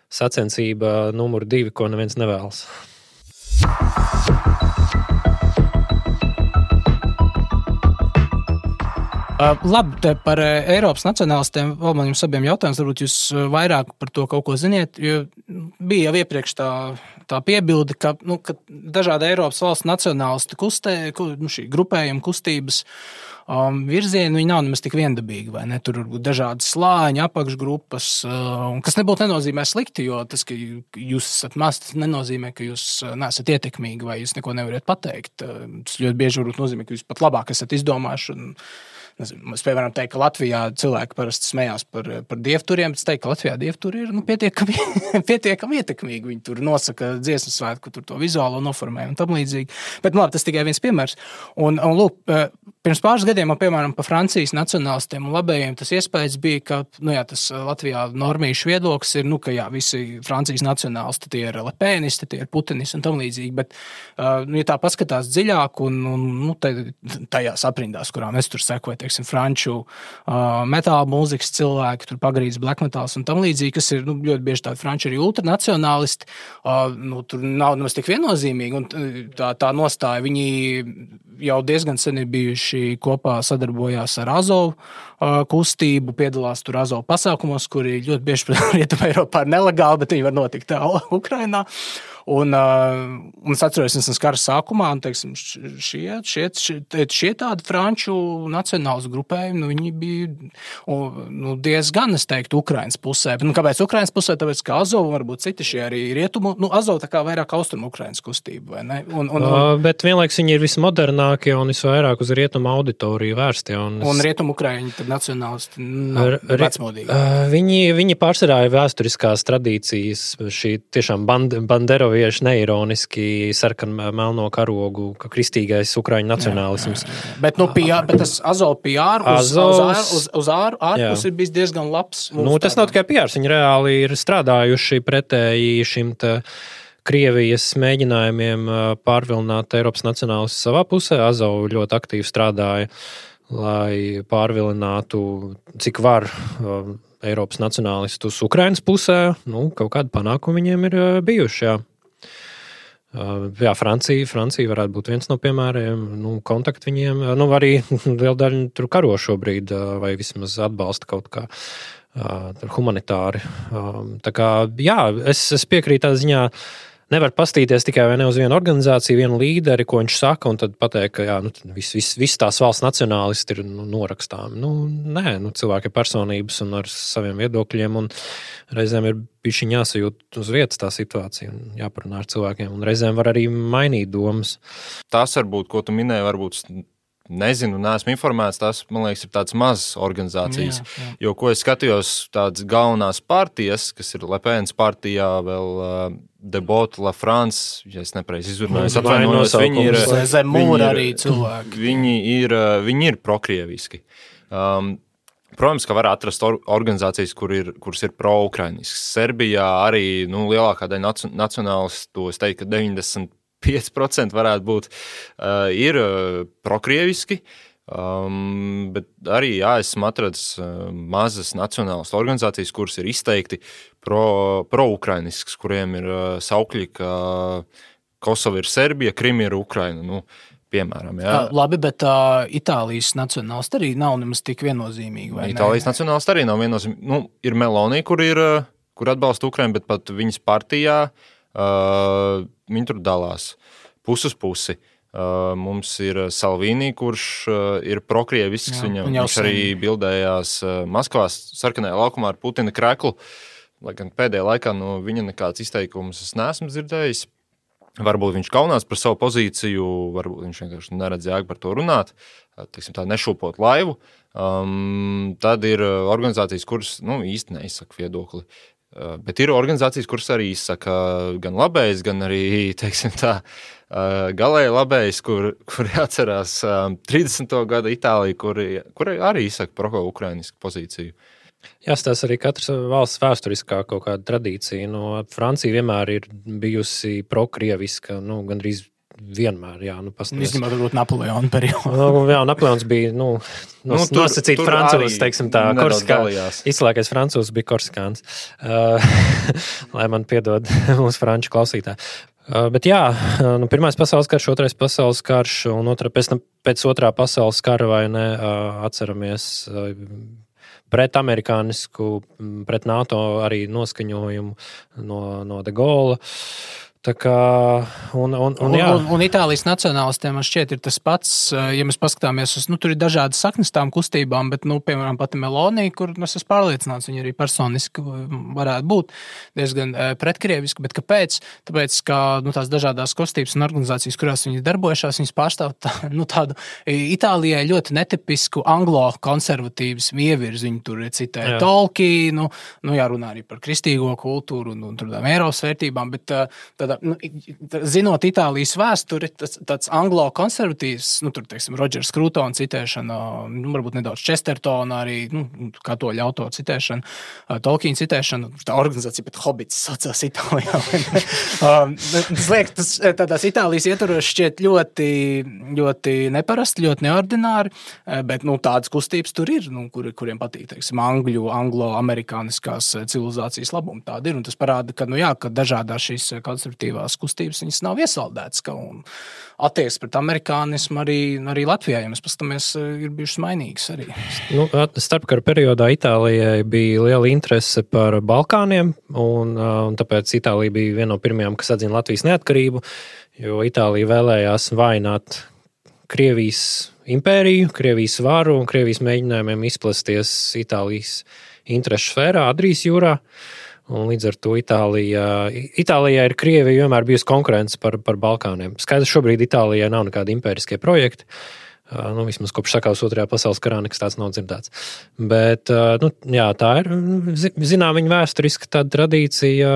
sacensība numur 2, ko neviens nevēlas. Labi, par Eiropas nacionālistiem vēl man jums abiem jautājums, varbūt jūs vairāk par to kaut ko ziniet, jo bija jau iepriekš tā piebilde, ka dažādi Eiropas valsts nacionālisti šī grupējuma kustības virzieni, viņi nav nemaz tik viendabīgi, vai ne? Tur varbūt dažādi slāņi, apakšgrupas, kas nebūtu nenozīmē slikti, jo tas, ka jūs esat maz, tas nenozīmē, ka jūs neesat ietekmīgi vai jūs neko nevarat pateikt. Tas ļoti bieži varbūt nozīmē, ka jūs pat labāk esat izdomājuši un es, piemēram, teiktu, ka Latvijā cilvēki parasti smējās par dievturiem, bet es teiktu, ka Latvijā dievturi ir pietiekami ietekmīgi. Viņi tur nosaka dziesmu svētku, tur to vizuālo noformē un tam līdzīgi. Bet, labi, tas tikai viens piemērs. Un lūk, pirms pāris gadiem, piemēram, pa Francijas nacionālistiem un labējiem tas iespējas bija, ka, tas Latvijā normīšu viedoklis ir, ka visi Francijas nacionālisti tie ir lepēnisti, tie ir putinisti un tam līdzīgi, bet, ja tā paskatās dziļāk un tajās aprindās, kurām es tur sekoju, franču metāla mūzikas cilvēki, tur pagrīdes black metals un tam līdzīgi, kas ir ļoti bieži tādi franči arī ultranacionālisti, tur nav nemaz tik viennozīmīgi, un tā nostāja, viņi jau diezgan sen ir bijuši kopā sadarbojās ar Azovu kustību, piedalās tur Azovu pasākumos, kuri ļoti bieži Rietumē Eiropā ir nelegāli, bet viņi var notikt Ukrainā. Un es atceros, es kara sākumā, un, teiksim, šie tādi franču nacionāls grupējumi, viņi bija diezgan, es teiktu, Ukrainas pusē. Bet, kāpēc Ukrainas pusē? Tāpēc, ka Azovu varbūt citi šie arī rietumu, Azovu tā kā vairāk austrumu Ukrainas kustība, vai ne? Bet vienlaiks viņi ir vismodernākie un visvairāk uz rietumu auditoriju vērstie. Un rietumu Ukraiņi tad nacionālisti vecmodīgi. Viņi pārsvarā ir vēsturiskās tradīcijas, šī tiešām banderovi neironiski sarkanu melno karogu, ka kristīgais ukraiņu nacionālisms. Bet tas Azovu PR uz ārpus ir bijis diezgan labs. Tas nav tikai PR, viņi reāli ir strādājuši pretēji šim Krievijas mēģinājumiem pārvilināt Eiropas nacionālistus savā pusē. Azovu ļoti aktīvi strādāja, lai pārvilinātu, cik var Eiropas nacionālistus Ukrainas pusē, kaut kādi panākumi viņiem ir bijuši, jā. Jā, Francija varētu būt viens no piemēriem, kontakti viņiem, arī liela daļa tur karo šobrīd, vai vismaz atbalsta kaut kā humanitāri. Tā kā, jā, es piekrītu tā ziņā, nevar pastīties tikai vai ne uz vienu organizāciju, vienu līderi, ko viņš saka, un tad pateikt, ka jā, viss tās valsts nacionālisti ir norakstām. Nē, cilvēki ir personības un ar saviem viedokļiem, un reizēm ir bišķiņ jāsajūt uz vietas tā situācija un jāparunā ar cilvēkiem, un reizēm var arī mainīt domas. Tas varbūt, ko tu minēji, varbūt nezinu, neesmu informēts, tas, man liekas, ir tādas mazas organizācijas. Jā. Jo, ko es skatījos, tādas galvenās partijas, kas ir Le Pen's partijā, vēl Debot, La France, ja es nepareizi izrunāju, atvainojos, viņi ir zem mūra arī cilvēki. Viņi ir prokrieviski. Protams, ka var atrast organizācijas, kuras ir pro-ukrainiskas. Serbijā arī lielākā daļa nacionālistu, es teiktu, ka 95% varētu būt, ir prokrieviski, bet arī, jā, esmu atradis mazas nacionālas organizācijas, kuras ir izteikti pro-ukrainiskas, kuriem ir saukļi, ka Kosova ir Serbija, Krima ir Ukraina, piemēram. Jā. Labi, bet Itālijas nacionālisti arī nav nemaz tik viennozīmīgi, vai ne? Itālijas nacionālisti arī nav viennozīmīgi. Ir Meloni, kur atbalsta Ukrainu, bet pat viņas partijā viņi tur dalās pusi uz pusi. Mums ir Salvini, kurš ir prokrievisks. Viņš arī bildējās Maskavās sarkanajā laukumā ar Putina kreklu. Lai gan pēdējā laikā viņa nekāds izteikums es neesmu dzirdējis. Varbūt viņš kaunās par savu pozīciju, varbūt viņš vienkārši neredz jēgu par to runāt, teiksim tā, nešūpot laivu. Tad ir organizācijas, kuras īsti neizsaka viedokli. Bet ir organizācijas, kuras arī izsaka gan labējs, gan arī, teiksim tā, galēji labējs, kuri atcerās 30. gada Itāliju, kuri arī izsaka pro-ukrainisku pozīciju. Jāstāsta arī katras valsts vēsturiskā kaut kāda tradīcija. Francija vienmēr ir bijusi prokrieviska, gandrīz vienmēr, jā. Izņemot varbūt Napoleona periodu. Jā, Napoleons bija, nosacīt francūzs, teiksim tā, izslēgais francūzs bija Korsikāns. Lai man piedod mūsu franču klausītāji. Bet jā, Pirmais pasaules karš, Otrais pasaules karš un pēc Otrā pasaules kara vai ne, atceramies pret amerikānisku, pret NATO arī noskaņojumu no De Gaulle. Tā kā, un Itālijas nacionālistiem man šķiet ir tas pats, ja mēs paskatāmies uz, tur ir dažādas saknes tām kustībām, bet, piemēram, pati Meloni, kur es esmu pārliecināts, viņa arī personiski varētu būt diezgan pretkrieviski, bet kāpēc? Tāpēc, ka tās dažādās kustības un organizācijas, kurās viņi darbojušās, viņas pārstāv tādu Itālijai ļoti netipisku anglo-konservatīvas ievirzi. Viņi tur citē Tolkienu, jārunā arī par kristīgo kultūru un tādām Eiropas vērtībām, bet zinot Itālijas vēsturi, tāds anglo-konservatīvs, tur, teiksim, Rodžers Krūtona citēšana, varbūt nedaudz Chestertona arī, katoļu autora citēšana, Tolkiena citēšana, tā organizācija, bet Hobits saucās Itālijā. Tas tādās Itālijas ietvaros šķiet ļoti, ļoti neparasti, ļoti neordināri, bet, tādas kustības tur ir, kuriem patīk, teiksim, anglo-amerikāniskās civilizācijas labumi tādi ir, un tas parāda, ka, ka dažādās šīs konservatīvās kustības, viņas nav iesaldētas, un attieksme pret amerikānismu arī Latvijā, ja mēs paskatāmies, ir bijušas mainīgas arī. Starpkara periodā Itālijai bija liela interese par Balkāniem, un tāpēc Itālija bija viena no pirmajām, kas atzina Latvijas neatkarību, jo Itālija vēlējās vainot Krievijas impēriju, Krievijas varu un Krievijas mēģinājumiem izplasties Itālijas interešu sfērā, Adrijas jūrā. Un līdz ar to Itālijā ir Krievija vienmēr bijusi konkurence par Balkāniem. Skaidrs, šobrīd Itālijai nav nekādi impēriskie projekti. Vismaz kopš sakās Otrajā pasaules karā nekas tāds nav dzirdēts. Bet, jā, tā ir, viņa vēsturiska tāda tradīcija,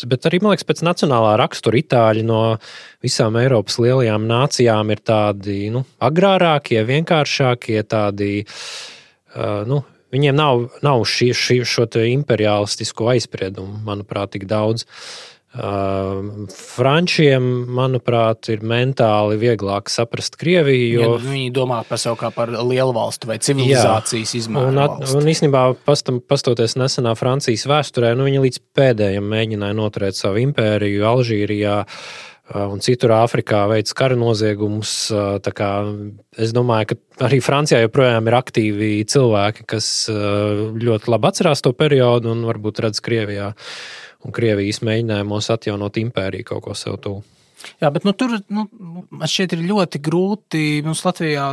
bet arī, man liekas, pēc nacionālā rakstura Itāļi no visām Eiropas lielajām nācijām ir tādi, agrārākie, vienkāršākie, tādi, viņiem nav šo imperialistisko aizspriedumu, manuprāt, tik daudz. Frančiem, manuprāt, ir mentāli vieglāk saprast Krieviju, jo viņi domā par sevi kā par lielu valstu vai civilizācijas izmēru valsti. Un īstenībā, pastoties nesenā Francijas vēsturē, viņi līdz pēdējiem mēģināja noturēt savu impēriju Alžīrijā un citur Āfrikā veids kara noziegumus. Tā kā es domāju, ka arī Francijā joprojām ir aktīvi cilvēki, kas ļoti labi atcerās to periodu un varbūt redz Krievijā un Krievijas mēģinājumos atjaunot impēriju kaut ko sev tuvu. Jā, bet tur man šķiet ir ļoti grūti. Mums Latvijā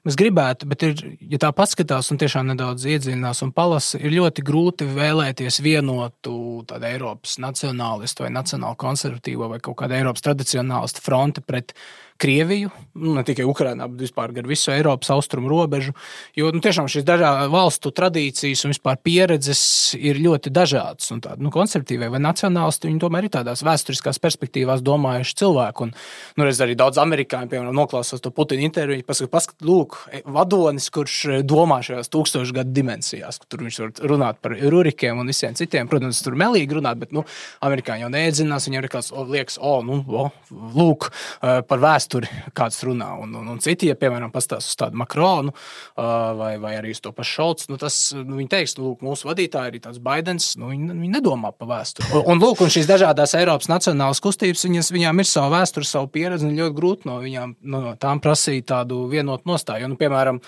mēs gribētu, bet ja tā paskatās un tiešām nedaudz iedziļinās un palasa, ir ļoti grūti vēlēties vienotu tādu Eiropas nacionālistu vai nacionālu konservatīvo vai kaut kādu Eiropas tradicionālistu fronti pret Krieviju, ne tikai Ukrainā, bet vispār gar visu Eiropas austrumu robežu, jo tiešām šīs valstu tradīcijas un vispār pieredzes ir ļoti dažādas, un tādi konservatīvie vai nacionālisti, viņi tomēr ir tādās vēsturiskās perspektīvās domājuši cilvēku, un reiz arī daudz amerikāņu, piemēram, noklausās to Putina interviju, paskat, lūk, vadonis, kurš domā šajās 1000 gadu dimensijās, tur viņš var runāt par Rurikiem un visiem citiem, protams, tur melīgi runāt, bet, amerikāņi jau neiedziļinās, viņiem liekas, lūk, par vēsturi kāds runā, un citi, ja, piemēram, pastāst uz tādu Makronu vai arī uz to pašu Šolcu, viņi teiks, lūk, mūsu vadītāji arī tāds Baidens, viņi nedomā par vēsturi. Un šīs dažādās Eiropas nacionālas kustības, viņām ir savu vēsturi, savu pieredzi, un ļoti grūti no viņām tām prasīt tādu vienotu nostāju. Piemēram,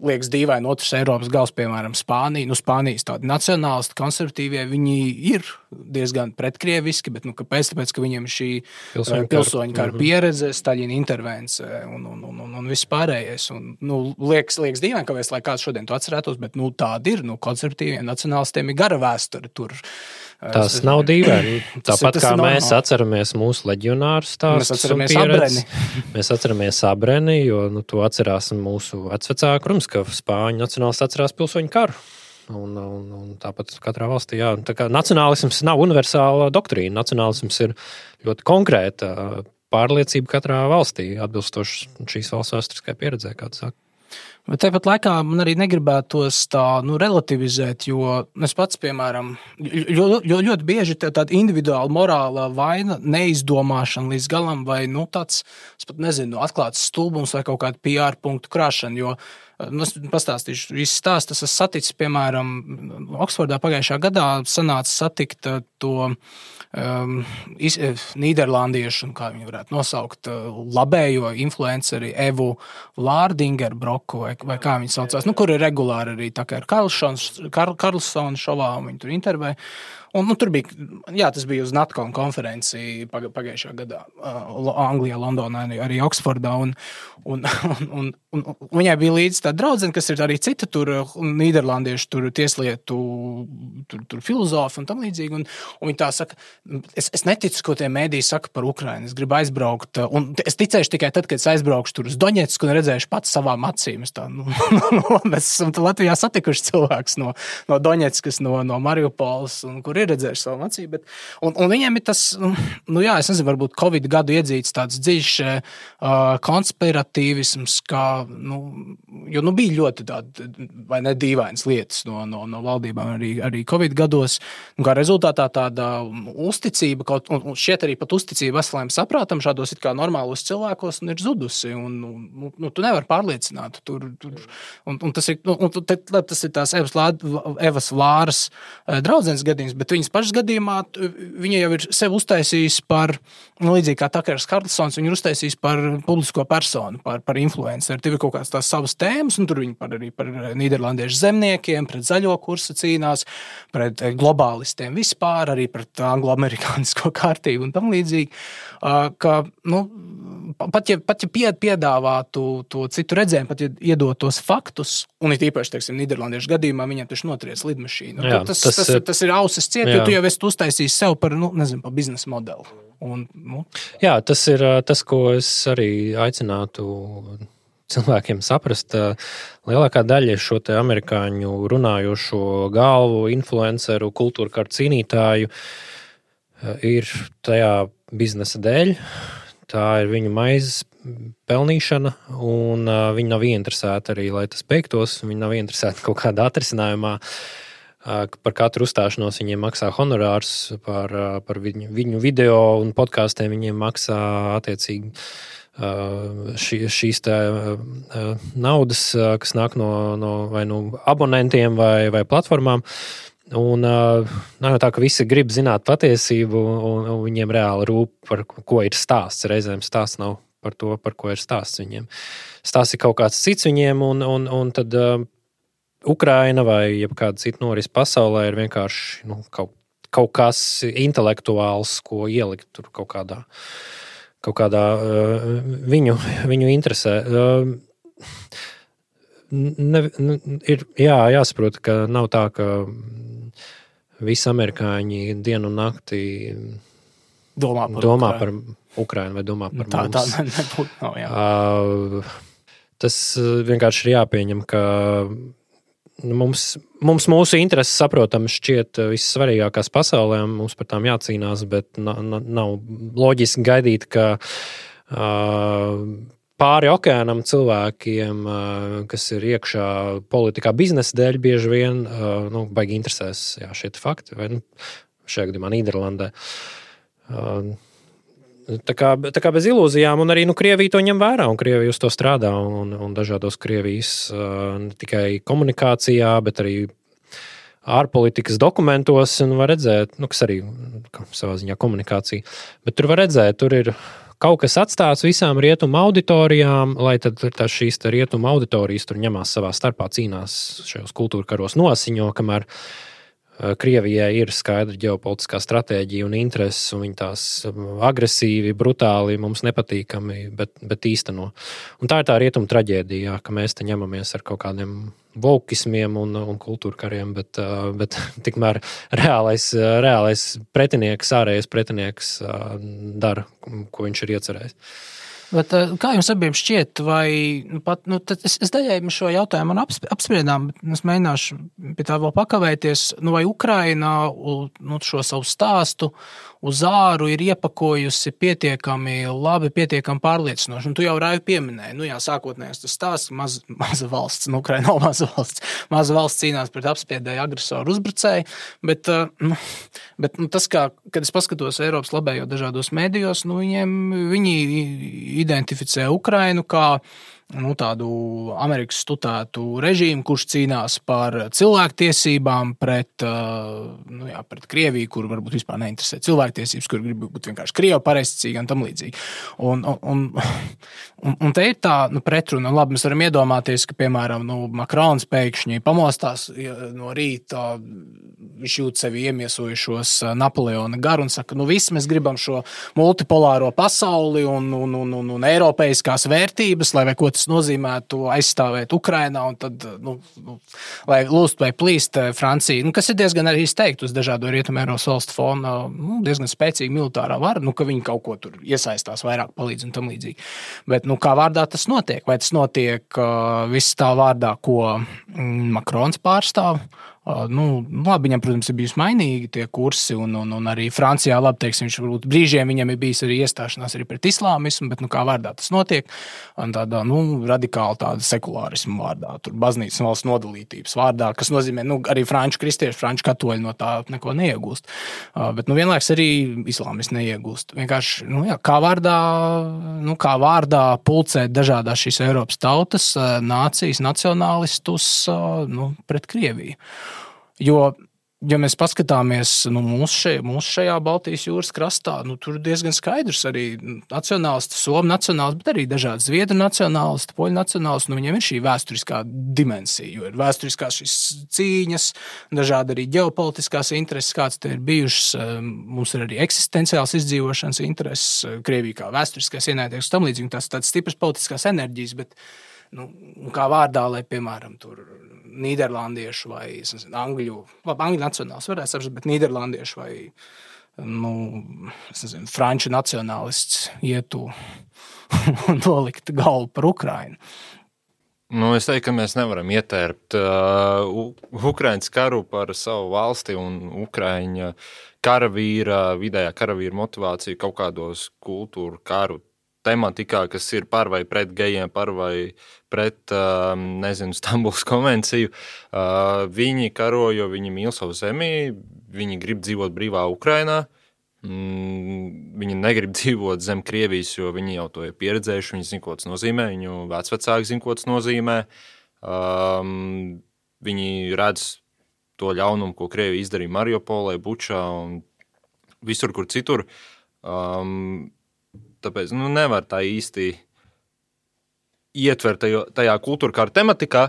liekas dīvaini otrs Eiropas gals, piemēram, Spānija. Spānijas tādi nacionālisti, konservatīvie, viņi ir diezgan pretkrieviski, bet kāpēc? Tāpēc, ka viņiem šī pilsoņu kara pieredze, Staļina intervence un viss pārējais. Liekas dīvaini, kāpēc, lai kāds šodien to atcerētos, bet tādi ir, konservatīviem nacionālistiem ir gara vēsture tur. Tas nav dīvaini. Tāpat kā mēs atceramies mūsu leģionāru stāstus un pieredzi. Mēs atceramies Abreni, jo to atcerās mūsu vecvecāki. Protams, ka Spāņu nacionālisti atcerās pilsoņu karu. Un tāpat katrā valstī, jā. Tā kā nacionālisms nav universāla doktrīna. Nacionālisms ir ļoti konkrēta pārliecība katrā valstī, atbilstoši šīs valsts vēsturiskai pieredzē, kā tu saki. Bet tāpat laikā man arī negribētos tā relativizēt, jo es pats, piemēram, ļoti bieži tāda individuāla morāla vaina, neizdomāšana līdz galam vai tāds, es pat nezinu, atklāts stulbums vai kaut kāda PR punktu krāšana, jo es pastāstīšu visu stāstu. Es esmu saticis, piemēram, Oksfordā pagājušā gadā sanāca satikt to nīderlandiešu, kā viņi varētu nosaukt, labējo influenceri Evu Vlārdingerbroku, vai kā viņi saucās, kur ir regulāri arī tā kā ir Karlsona šovā, un viņi tur intervēja. Un tur bija, tas bija uz NatCon konferenci pagājušā gadā Anglijā, Londonā, arī Oksfordā, un viņai bija līdz tā draudzene, kas ir arī cita tur nīderlandiešu tur tieslietu tur filozofi un tam līdzīgi, un viņi tā saka, es neticu, ko tie mēdīji saka par Ukrainu, es gribu aizbraukt, un es ticēšu tikai tad, kad es aizbraukšu tur uz Doņetsku un redzēšu pats savām acīm. Mēs esam Latvijā satikuši cilvēks no Doņetskas, no Mariupoles, un kur ir redzējuši savu acīm, bet un viņiem ir tas, es nezinu, varbūt Covid gadu iedzīts tāds dziļš konspiratīvisms, kā, jo bija ļoti tāda, vai ne dīvainas lietas no valdībām arī Covid gados, un kā rezultātā tāda uzticība, un šķiet arī pat uzticība veselajam saprātam šādos it kā normālos cilvēkos ir zudusi, un tu nevari pārliecināt tur, un tas ir tās Evas Vlāras draudzenes gadījums, bet viņas pašas gadījumā viņa jau ir sevi uztaisījis par, līdzīgi kā Takers Karlsons, viņa ir uztaisījis par publisko personu, par influenceru. Tur ir kaut kādas tās savas tēmas, un tur viņa arī par nīderlandiešu zemniekiem, pret zaļo kursu cīnās, pret globālistiem vispār, arī pret anglo-amerikānisko kārtību un tam līdzīgi. Pat ja piedāvātu to citu redzējumu, pat ja iedot tos faktus, un it īpaši, teiksim, nīderlandiešu gadījumā viņam taču notriec lidmašīnu. Jā, tas ir ausis ciet, jo tu jau esi uztaisījis sev par biznesa modeli. Jā, tas ir tas, ko es arī aicinātu cilvēkiem saprast. Lielākā daļa šo te amerikāņu runājošo galvu, influenceru, kultūra kārtu cīnītāju ir tajā biznesa dēļ. Tā ir viņu maizes pelnīšana, un viņi nav ieinteresēti arī, lai tas beigtos. Viņi nav ieinteresēti kaut kādā atrisinājumā. par katru uzstāšanos viņiem maksā honorārs, par viņu video un podkāstiem viņiem maksā attiecīgi šīs naudas, kas nāk no vai no abonentiem vai platformām. Un nav jau tā, ka visi grib zināt patiesību, un viņiem reāli rūp, par ko ir stāsts. Reizēm stāsts nav par to, par ko ir stāsts viņiem. Stāsts ir kaut kāds cits viņiem, un tad Ukraina vai jebkāda cita noris pasaulē ir vienkārši kaut kas intelektuāls, ko ielikt tur kaut kādā viņu interesē. Ir jāsaprot, ka nav tā, ka visi amerikāņi dienu un nakti domā par Ukrainu vai domā par mums. Tā nebūtu nav, jā. Tas vienkārši ir jāpieņem, ka mums mūsu intereses, saprotams, šķiet vissvarīgākās pasaulē, mums par tām jācīnās, bet nav loģiski gaidīt, ka pāri okeānam cilvēkiem, kas ir iekšā politikā biznesa dēļ, bieži vien baigi interesēs šie fakti, vai šajā gadījumā Nīderlandē. Tā kā bez ilūzijām, un arī Krievija to ņem vērā, un Krievija uz to strādā, un dažādos Krievijas ne tikai komunikācijā, bet arī ārpolitikas dokumentos, un var redzēt, kas arī savā ziņā komunikācija, bet tur var redzēt, tur ir kaut kas atstāts visām rietumu auditorijām, lai tad šīs rietumu auditorijas tur ņemās savā starpā, cīnās šajos kultūra karos nosiņo, kamēr Krievijai ir skaidra ģeopolitiskā stratēģija un intereses, un viņi tās agresīvi, brutāli, mums nepatīkami, bet īsteno. Un tā ir tā rietumu traģēdija, ka mēs te ņemamies ar kaut kādiem vokismiem un kultūra kariem, bet tikmēr reālais pretinieks, ārējais pretinieks dara, ko viņš ir iecerējis. Bet, kā jums abiem šķiet, vai es daļēji šo jautājumu apspriedām, bet es mēģināšu pie tā vēl pakavēties, vai Ukraina šo savu stāstu uz āru ir iepakojusi pietiekami labi, pietiekami pārliecinoši. Un tu jau Raivi pieminēji, sākotnējais tas stāsts, maza valsts, Ukraina nav maza valsts. Maza valsts cīnās pret apspiedēju agresoru uzbrucēju, bet tas, kad es paskatos Eiropas labējo dažādos mēdījos, viņi identificē Ukrainu kā tādu Amerikas studētu režīmu, kurš cīnās par cilvēktiesībām pret Krieviju, kur varbūt vispār neinteresē cilvēktiesības, kur grib būt vienkārši Krievu pareizticīgi un tam līdzīgi. Un te ir tā pretruna. Labi, mēs varam iedomāties, ka, piemēram, Makrons pēkšņi pamostās no rīta, viņš jūt sevi iemiesojušos Napoleona garu un saka, visi mēs gribam šo multipolāro pasauli un eiropeiskās vērtības, lai vai ko tas nozīmētu aizstāvēt Ukrainā, un tad, lai lūst vai plīst Francija, kas ir diezgan arī izteikt uz dažādo Rietumēropas valstu fona, diezgan spēcīga militārā vara, ka viņi kaut ko tur iesaistās, vairāk palīdz un tam līdzīgi. Bet, kā vārdā tas notiek? Vai tas notiek viss tā vārdā, ko Makrons pārstāv? Labi, viņam, protams, ir bijusi mainīgi tie kursi, un arī Francijā, labi, teiksim, viņš varbūt brīžiem viņam ir bijis arī iestāšanās arī pret islāmismu, bet, kā vārdā tas notiek, un tādā, radikāli tāda sekulārismu vārdā, tur baznīcas un valsts nodalītības vārdā, kas nozīmē, arī franču kristieši, franču katoļi no tā neko neiegūst, bet, vienlaiks arī islāmisti neiegūst. Vienkārši, kā vārdā pulcēt dažādās šīs Eiropas tautas, nācijas, nacionālistus, pret Krieviju. Jo, ja mēs paskatāmies mūsu šajā Baltijas jūras krastā, tur diezgan skaidrs arī nacionālisti, somu nacionālisti, bet arī dažādi zviedru nacionālisti, poļu nacionālisti, viņiem ir šī vēsturiskā dimensija, jo ir vēsturiskās šīs cīņas, dažādi arī ģeopolitiskās intereses, kāds te ir bijušas, mums ir arī eksistenciāls izdzīvošanas intereses, Krievija kā vēsturiskais ienaidnieks, tam līdzīgi, tās tādas stipras politiskās enerģijas, bet kā vārdā, lai, piemēram, tur nīderlandiešu vai angļu nacionāls varētu saprast, bet nīderlandiešu vai franču nacionālists ietu un nolikt galvu par Ukrainu. Es teiktu, ka mēs nevaram ietērpt Ukrainas karu par savu valsti un Ukraiņa karavīra, vidējā karavīra motivāciju kaut kādos kultūru karu tematikā, kas ir par vai pret gejiem, par vai pret, Stambulas konvenciju. Viņi karo, jo viņi mīl savu zemi, viņi grib dzīvot brīvā Ukrainā. Viņi negrib dzīvot zem Krievijas, jo viņi jau to ir pieredzējuši, viņi zina, ko tas nozīmē, viņu vecvecāki zina, ko tas nozīmē. Viņi redz to ļaunumu, ko Krievija izdarīja Mariupolē, Bučā un visur, kur citur. Tāpēc nevar tā īsti ietvert tajā kultūrkāra tematikā.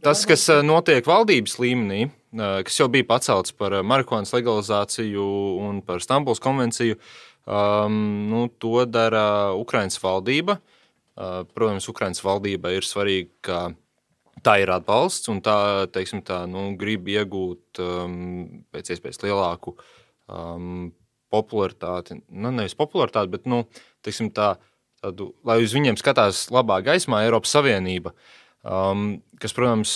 Tas, kas notiek valdības līmenī, kas jau bija pacelts par marihuānas legalizāciju un par Stambulas konvenciju, to dara Ukrainas valdība. Protams, Ukrainas valdība ir svarīga, ka tā ir atbalsts un tā, grib iegūt pēc iespējas lielāku popularitāti, nevis popularitāti, bet, tādu, lai uz viņiem skatās labā gaismā Eiropas Savienība, kas, protams,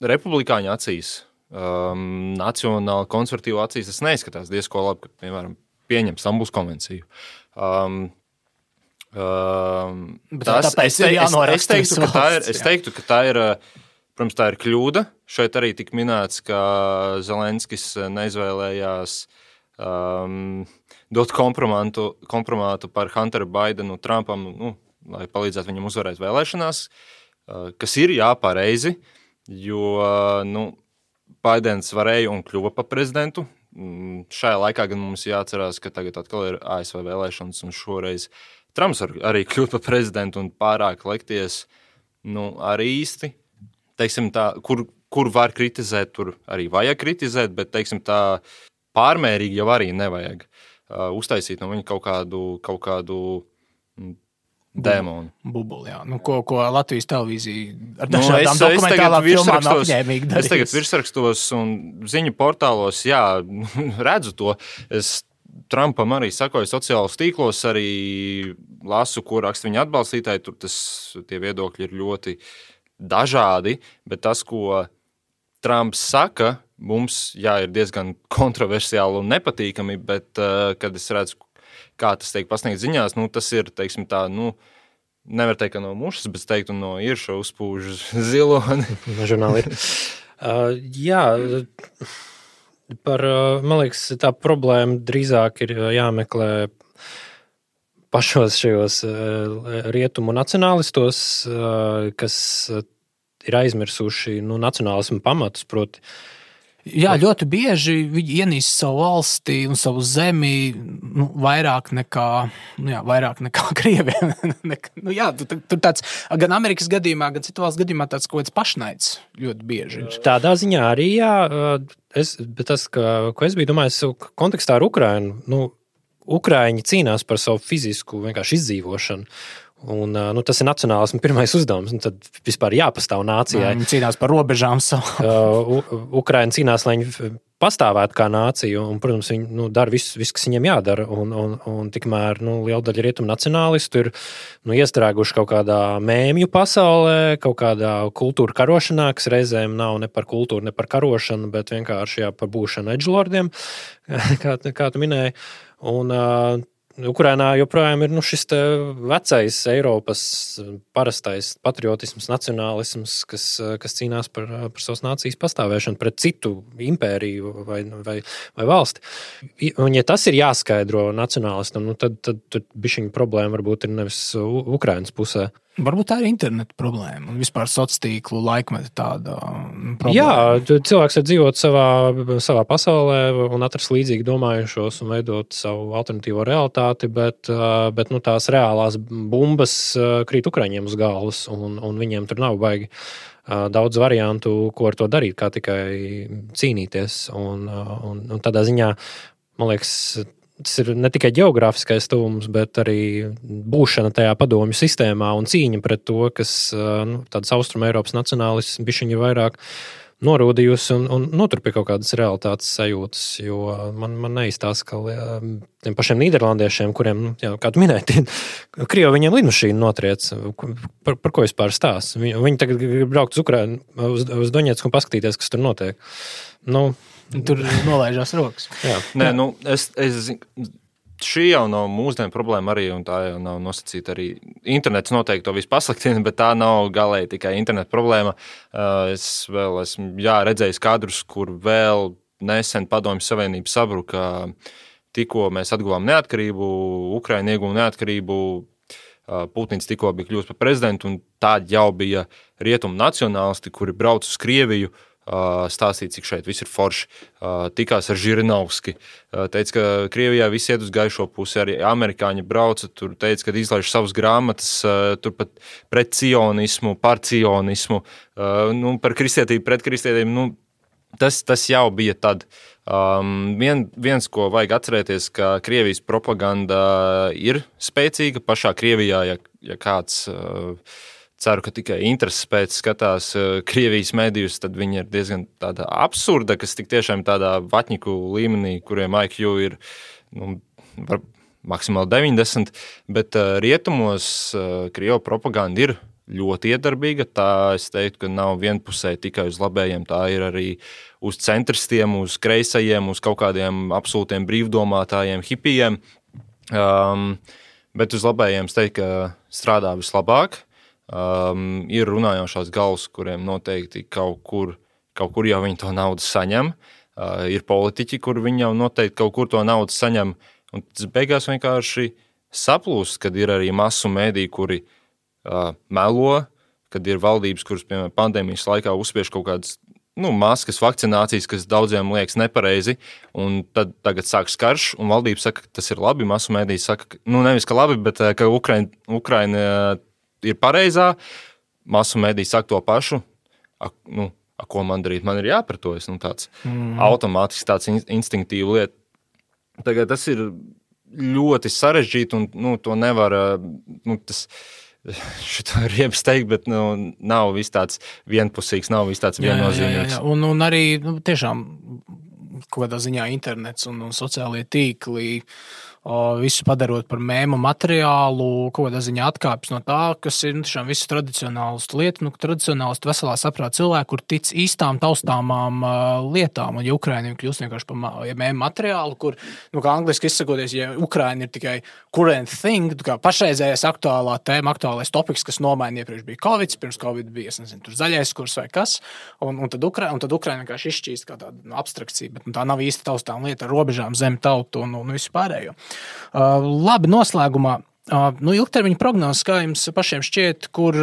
republikāņu acīs, nacionāli konservatīvu acīs, tas neizskatās diezko labi, ka, piemēram, pieņem Stambulas konvenciju. Tāpēc ir jānoraksta. Es teiktu, ka tā ir, protams, tā ir kļūda. Šeit arī tika minēts, ka Zelenskis neizvēlējās dot kompromātu par Hunteru Baidenu Trumpam, lai palīdzētu viņam uzvarēt vēlēšanās, kas ir pareizi, jo Baidens varēja un kļuva par prezidentu. Šajā laikā gan mums jāatcerās, ka tagad atkal ir ASV vēlēšanas un šoreiz Trumps arī kļūt par prezidentu un pārāk lekties, arī īsti. Teiksim tā, kur var kritizēt, tur arī vajag kritizēt, bet, teiksim tā, pārmērīgi jau arī nevajag uztaisīt no viņa kaut kādu dēmonu. Bubuli, jā. Ko Latvijas televīzija ar dažādām dokumentālām filmām apņēmīgi darīs. Es tagad virsrakstos un ziņu portālos, redzu to. Es Trumpam arī sakoju sociālos tīklos, arī lasu, ko raksta viņa atbalstītāji. Tur tie viedokļi ir ļoti dažādi, bet tas, ko Trumps saka, mums, ir diezgan kontroversiāli un nepatīkami, bet, kad es redzu, kā tas tiek pasniegts ziņās, tas ir, teiksim tā, nevar teikt, ka no mušas, bet teiktu no irša uzpūž ziloni. No žurnāli ir. Man liekas, tā problēma drīzāk ir jāmeklē pašos šajos rietumu nacionālistos, kas ir aizmirsuši nacionālismu pamatus, proti. Jā, ļoti bieži viņi ienīst savu valsti un savu zemi vairāk nekā Krieviem. Tur tāds, gan Amerikas gadījumā, gan citu valstu gadījumā tāds kaut kāds pašnaids ļoti bieži ir. Tādā ziņā arī, bet tas, ko es biju domājis kontekstā ar Ukrainu, Ukraiņi cīnās par savu fizisku vienkārši izdzīvošanu. Un, tas ir nacionālisma pirmais uzdevums, un tad vispār jāpastāv nācijai. Viņi cīnās par robežām savu. Ukraina cīnās, lai viņi pastāvētu kā nācija, un, protams, viņi dara visu, kas viņiem jādara, un tikmēr liela daļa rietumu nacionālistu ir iestrēguši kaut kādā mēmju pasaulē, kaut kādā kultūra karošanā, kas reizēm nav ne par kultūru, ne par karošanu, bet vienkārši par būšanu edžlordiem, kā tu minēji. Un Ukrainā joprojām ir šis vecais Eiropas parastais patriotisms, nacionālisms, kas cīnās par savas nācijas pastāvēšanu pret citu impēriju vai valsti. Un, ja tas ir jāskaidro nacionālistam, tad bišķiņa problēma varbūt ir nevis Ukrainas pusē. Varbūt tā ir interneta problēma un vispār sociālo laikmeta tāda problēma. Jā, cilvēks var dzīvot savā pasaulē un atrast līdzīgi domājušos un veidot savu alternatīvo realitāti, bet tās reālās bumbas krīt Ukraiņiem uz galvas un viņiem tur nav baigi daudz variantu, ko ar to darīt, kā tikai cīnīties. Un tādā ziņā, man liekas, tas ir ne tikai geogrāfiskais tuvums, bet arī būšana tajā padomju sistēmā un cīņa pret to, kas tādas Austrum Eiropas nacionālisms bišķiņi ir vairāk norūdījusi un notur pie kaut kādas realitātes sajūtas, jo man neizstās, ka tiem pašiem nīderlandiešiem, kuriem, kā tu minēji, Krievi viņiem lidmašīnu notriec, par ko vispār stās. Viņi tagad grib braukt uz Ukrainu, uz Doņetsku un paskatīties, kas tur notiek. Tur nolaižās rokas. Jā. Nē, es šī jau nav mūsdienu problēma arī, un tā jau nav nosacīta arī. Internets noteikti to visu pasliktina, bet tā nav galēji tikai interneta problēma. Es vēl esmu redzējis kadrus, kur vēl nesen Padomju Savienība sabruka. Tikko mēs atguvām neatkarību, Ukraina ieguva neatkarību, Putins tikko bija kļūst par prezidentu, un tādi jau bija rietumu nacionālisti, kuri brauc uz Krieviju, stāstīt, cik šeit viss ir forši. Tikās ar Žirinovski. Teica, ka Krievijā viss iet uz gaišo pusi, arī amerikāņi brauca, tur teica, ka izlaiž savas grāmatas, turpat pret cionismu, par cionismu, par kristietību, pret kristietību. Tas jau bija tad. Viens, ko vajag atcerēties, ka Krievijas propaganda ir spēcīga pašā Krievijā, ja kāds ceru, ka tikai intereses pēc skatās Krievijas medijus, tad viņi ir diezgan tāda absurda, kas tik tiešām tādā vatņiku līmenī, kuriem IQ ir maksimāli 90, bet rietumos Krievu propaganda ir ļoti iedarbīga. Tā es teiktu, ka nav vienpusēji tikai uz labējiem, tā ir arī uz centristiem, uz kreisajiem, uz kaut kādiem absolūtiem brīvdomātājiem, hipijiem. Bet uz labējiem es teiktu, ka strādā vislabāk. Ir runājošās galvas, kuriem noteikti kaut kur jau viņi to naudu saņem. Ir politiķi, kur viņi jau noteikti kaut kur to naudu saņem. Un tas beigās vienkārši saplūst, kad ir arī masu mēdī, kuri melo, kad ir valdības, kuras, piemēram, pandēmijas laikā uzspiež kaut kādas maskas, vakcinācijas, kas daudziem liekas nepareizi, un tad tagad sāks karš, un valdība saka, ka tas ir labi, masu mēdī saka, nevis, ka labi, bet ka Ukraina ir pareizā, masu mēdī saka to pašu, ko man darīt, man ir jāpratojas, tāds automātiski tāds instinktīva lieta. Tagad tas ir ļoti sarežģīti, un to nevar, šito ir riebs teikt, bet nav viss tāds vienpusīgs, nav viss tāds viennozīmīgs. Jā. Un arī tiešām kaut kādā ziņā internets un sociālie tīkli visu padarot par mēmu materiālu, kaut kādā ziņā atkāpjas no tā, kas ir tiešām visu tradicionālistu lietu, tradicionālistu veselā saprāta cilvēku, kur tic īstām taustāmām lietām, un ja Ukraina kļūst vienkārši par mēmu materiālu, kur, kā angliski izsakoties, ja Ukraina ir tikai current thing, kā pašreizējais aktuālā tēma, aktuālais topiks, kas nomaina iepriekš bija Covid, pirms Covid bija, tur zaļais kurs vai kas, un tad Ukraina vienkārši izšķīst kā tāda abstrakcija, bet tā nav īsti taustām lieta ar robežām, zem tautu un visu pārējo. Labi, noslēgumā. Ilgtermiņa prognozes, kā jums pašiem šķiet, kur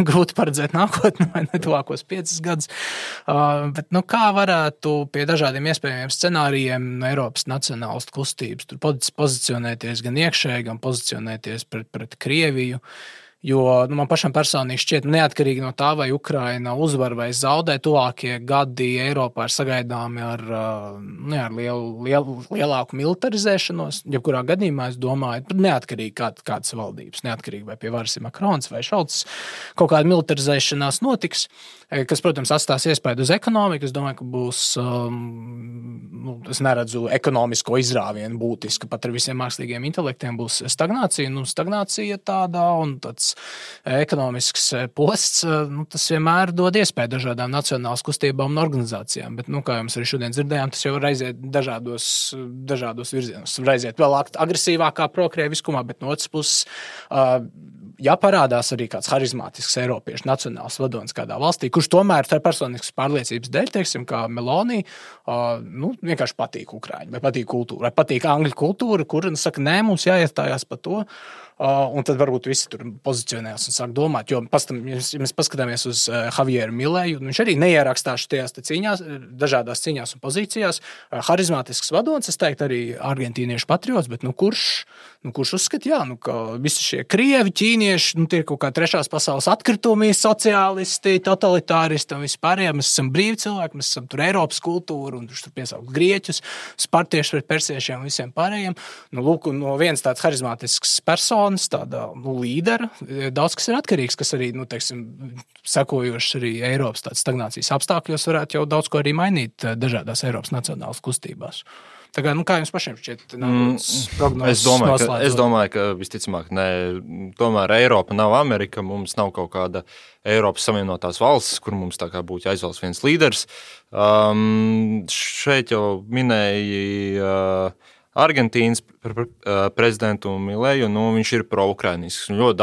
grūti paredzēt nākotni vai netuvākos 5 gadus, bet kā varētu pie dažādiem iespējamiem scenārijiem Eiropas nacionālistu kustības tur pozicionēties gan iekšēji, gan pozicionēties pret Krieviju? Jo man pašam personīgi šķiet, neatkarīgi no tā, vai Ukraina uzvar vai zaudē, tuvākie gadi Eiropā ir sagaidāmi ar lielāku militarizēšanos. Jebkurā gadījumā es domāju, neatkarīgi kādas valdības, neatkarīgi vai pie varas ir Makrons vai Šolts, kaut kāda militarizēšanās notiks, kas, protams, atstās iespēju uz ekonomiku. Es domāju, ka būs, es neredzu ekonomisko izrāvienu būtiski, pat ar visiem mākslīgiem intelektiem būs stagnācija. Stagnācija tādā un tāds ekonomisks posts, tas vienmēr dod iespēju dažādām nacionālas kustībām un organizācijām, bet, kā jums arī šodien dzirdējām, tas jau var aiziet dažādos virzienos. Var aiziet vēl agresīvākā prokrieviskumā, bet no otras puses, ja parādās arī kāds harizmātisks eiropiešu nacionāls vadonis kādā valstī, kurš tomēr tā personiskas pārliecības dēļ, teiksim, kā Meloni, vienkārši patīk Ukraiņu, vai patīk kultūra, vai patīk angļu kultūra, kur saka, nē, mums jāiestājās par to. Un tad varbūt visi tur pozicionējās un sāk domāt, jo ja mēs paskatāmies uz Javieru Milēju, viņš arī neierakstās šajās cīņās, dažādās cīņās un pozīcijās. Harizmātisks vadonis, es teiktu, arī argentīniešu patriots, bet kurš uzskata, ka visi šie krievi, ķīnieši, tie ir kaut kā trešās pasaules atkritumi, sociālisti, totalitāristi un vispārējie. Mēs esam brīvi cilvēki, mēs esam tur Eiropas kultūra un tur piesaukt grieķus, spartieši pret persiešiem un visiem pārējiem. Lūk, no viens tāds harizmātisks personis, tāda līdera, daudz kas ir atkarīgs, kas arī, sekojoši arī Eiropas tādas stagnācijas apstākļos varētu jau daudz ko arī mainīt dažādās Eiropas nacionālas kustībās. Tā kā, kā jums pašiem šķiet prognozes noslēdzot? Es domāju, ka visticamāk, tomēr Eiropa nav Amerika, mums nav kaut kāda Eiropas Savienotās valsts, kur mums tā kā būtu jāizvēlas viens līderis. Šeit jau minēja Argentīnas prezidentu Mileju, viņš ir pro-ukrainisks. Ļoti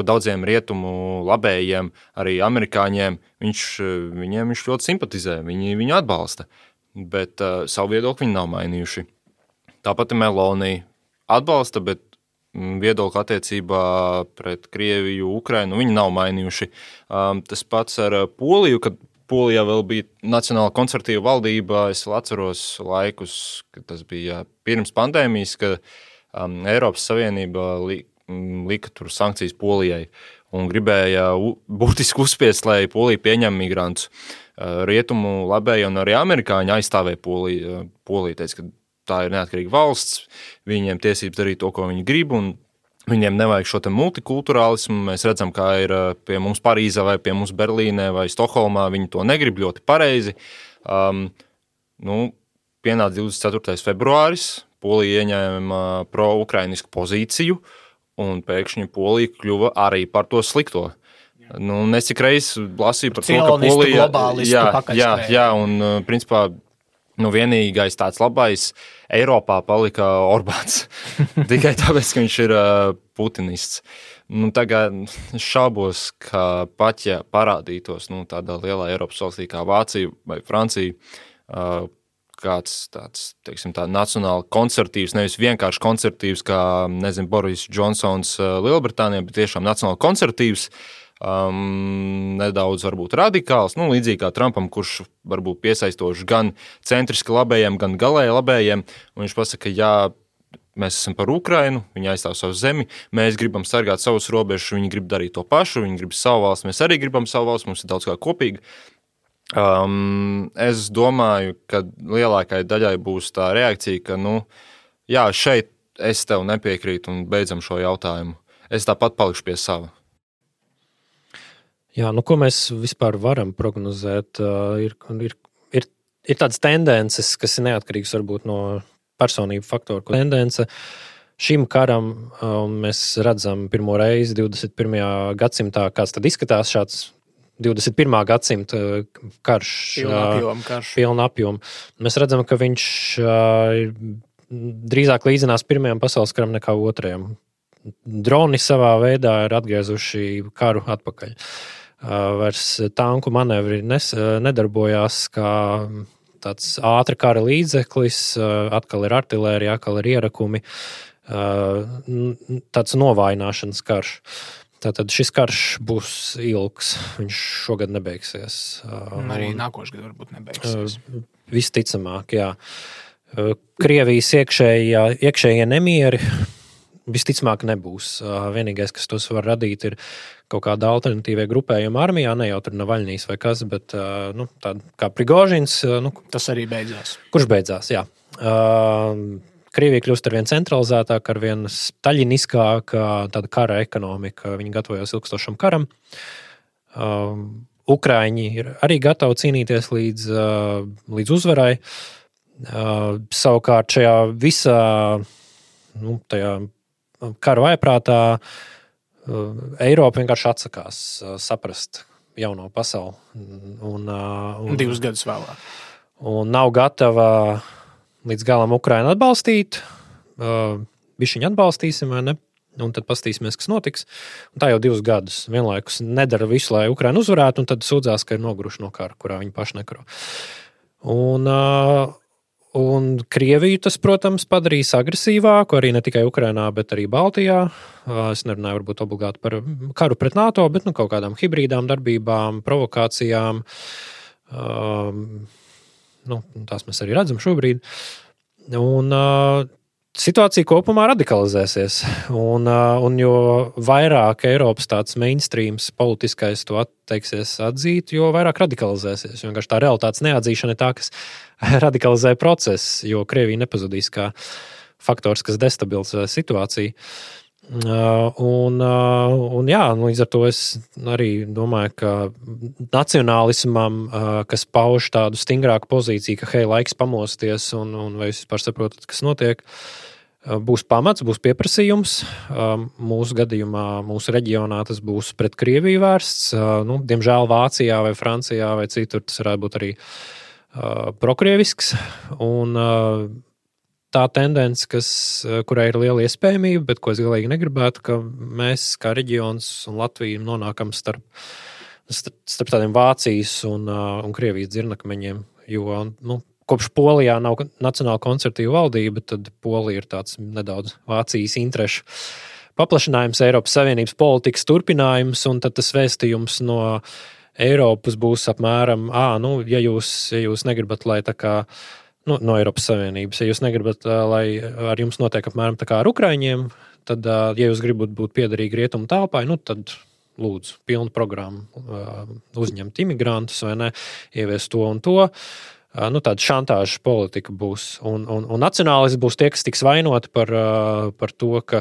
daudziem rietumu labējiem, arī amerikāņiem, viņiem viņš ļoti simpatizē, viņi viņu atbalsta, bet savu viedokli viņi nav mainījuši. Tāpat Meloni atbalsta, bet viedokli attiecībā pret Krieviju, Ukrainu viņi nav mainījuši. Tas pats ar Poliju, kad Polijā vēl bija nacionāla konservatīva valdība, es atceros laikus, kad tas bija pirms pandēmijas, kad Eiropas Savienība lika tur sankcijas Polijai un gribēja būtiski uzspiest, lai Polija pieņem migrantus. Rietumu labēji un arī amerikāņi aizstāvēja Poliju. Polija teica, ka tā ir neatkarīga valsts, viņiem tiesības darīt to, ko viņi grib, un viņiem nevajag šo te multikulturālismu. Mēs redzam, kā ir pie mums Parīzē vai pie mums Berlīnē vai Stokholmā, viņi to negrib ļoti pareizi. Pienāca 24. februāris, Polija ieņēma pro-ukrainisku pozīciju, un pēkšņi Polija kļuva arī par to slikto. Es cik reiz lasīju par to, ka Polija... Jā, un principā vienīgais tāds labais Eiropā palika Orbāns. Tikai tāpēc, ka viņš ir putinists. Tagad šaubos, ka pat ja parādītos tādā lielā Eiropas valstī kā Vācija vai Francija, kāds tāds, teiksim, tā nacionāli konservatīvs, nevis vienkārši konservatīvs, kā, Boris Džonsons Lielbritānijā, bet tiešām nacionāli konservatīvs, nedaudz varbūt radikāls, līdzīgi kā Trumpam, kurš varbūt piesaistoši gan centriski labējiem, gan galēji labējiem, un viņš pasaka, jā, mēs esam par Ukrainu, viņi aizstāv savu zemi, mēs gribam sargāt savus robežus, viņi grib darīt to pašu, viņi grib savu valsts, mēs arī gribam savu valsts, mums ir daudz kā kopīgi. Es domāju, ka lielākai daļai būs tā reakcija, ka, jā, šeit es tev nepiekrītu un beidzam šo jautājumu. Es tāpat palikšu pie sava. Jā, ko mēs vispār varam prognozēt? Ir tādas tendences, kas ir neatkarīgas varbūt no personību faktoru. Tendence šim karam, mēs redzam pirmo reizi 21. gadsimtā, kāds tad izskatās šāds 21. gadsimta karš. Pilna apjoma. Mēs redzam, ka viņš drīzāk līdzinās Pirmajam pasaules karam nekā Otrajam. Droni savā veidā ir atgriezuši karu atpakaļ. Vairs tanku manevri nedarbojās kā tāds ātra kara līdzeklis, atkal ir artilērija, atkal ir ierakumi, tāds novājināšanas karš. Tātad šis karš būs ilgs, viņš šogad nebeigsies. Arī nākošais gads varbūt nebeigsies. Visticamāk, jā. Krievijas iekšējie nemieri visticamāk nebūs. Vienīgais, kas tos var radīt, ir kaut kāda alternatīvie grupējuma armijā, ne jau tur Navaļnīs vai kas, bet tāda kā Prigožins. Tas arī beidzās. Kurš beidzās, jā. Krievija kļūst arvien centralizētāk, arvien staļiniskāka tāda kara ekonomika. Viņi gatavojas ilgstošam karam. Ukraiņi ir arī gatavi cīnīties līdz uzvarai. Savukārt šajā visā tajā kara vaiprātā Eiropa vienkārši atsakās saprast jauno pasauli. Un 2 gadus vēlāk. Un nav gatava līdz galam Ukrainu atbalstīt, bišķiņu atbalstīsim vai ne, un tad pastīsimies, kas notiks. Un tā jau 2 gadus vienlaikus nedara visu, lai Ukraina uzvarētu, un tad sūdzās, ka ir noguruši no kara, kurā viņi paši nekaro. Un Krieviju tas, protams, padarīs agresīvāku, arī ne tikai Ukrainā, bet arī Baltijā. Es nerunāju varbūt obligāti par karu pret NATO, bet kaut kādām hibrīdām darbībām, provokācijām. Tās mēs arī redzam šobrīd. Un situācija kopumā radikalizēsies. Un jo vairāk Eiropas tāds mainstreams politiskais to atteiksies atzīt, jo vairāk radikalizēsies. Vienkārši tā realitātes neatzīšana ir tā, kas radikalizē procesu, jo Krievija nepazudīs kā faktors, kas destabilizē situāciju. Līdz ar to es arī domāju, ka nacionālismam, kas pauž tādu stingrāku pozīciju, ka hei, laiks pamosties un vai jūs vispār saprotat, kas notiek, būs pamats, būs pieprasījums. Mūsu gadījumā, mūsu reģionā tas būs pret Krieviju vērsts. Diemžēl Vācijā vai Francijā vai citur tas varētu būt arī prokrievisks. Un tā tendence, kurai ir liela iespējamība, bet ko es galīgi negribētu, ka mēs kā reģions un Latvija nonākam starp tādiem Vācijas un Krievijas dzirnakmeņiem, jo, kopš Polijā nav nacionāla konservatīva valdība, tad Polija ir tāds nedaudz Vācijas interešu paplašinājums, Eiropas Savienības politikas turpinājums, un tad tas vēstījums no Eiropas būs apmēram, ja jūs negribat, lai tā kā, no Eiropas Savienības, ja jūs negribat, lai ar jums notiek apmēram tā kā ar Ukraiņiem, tad, ja jūs gribat būt piederīgi rietumu telpai, tad lūdzu, pilnu programmu uzņemt imigrantus vai ne, ieviest to un to. Tāda šantāža politika būs. Un nacionālisti būs tie, kas tiks vainoti par to, ka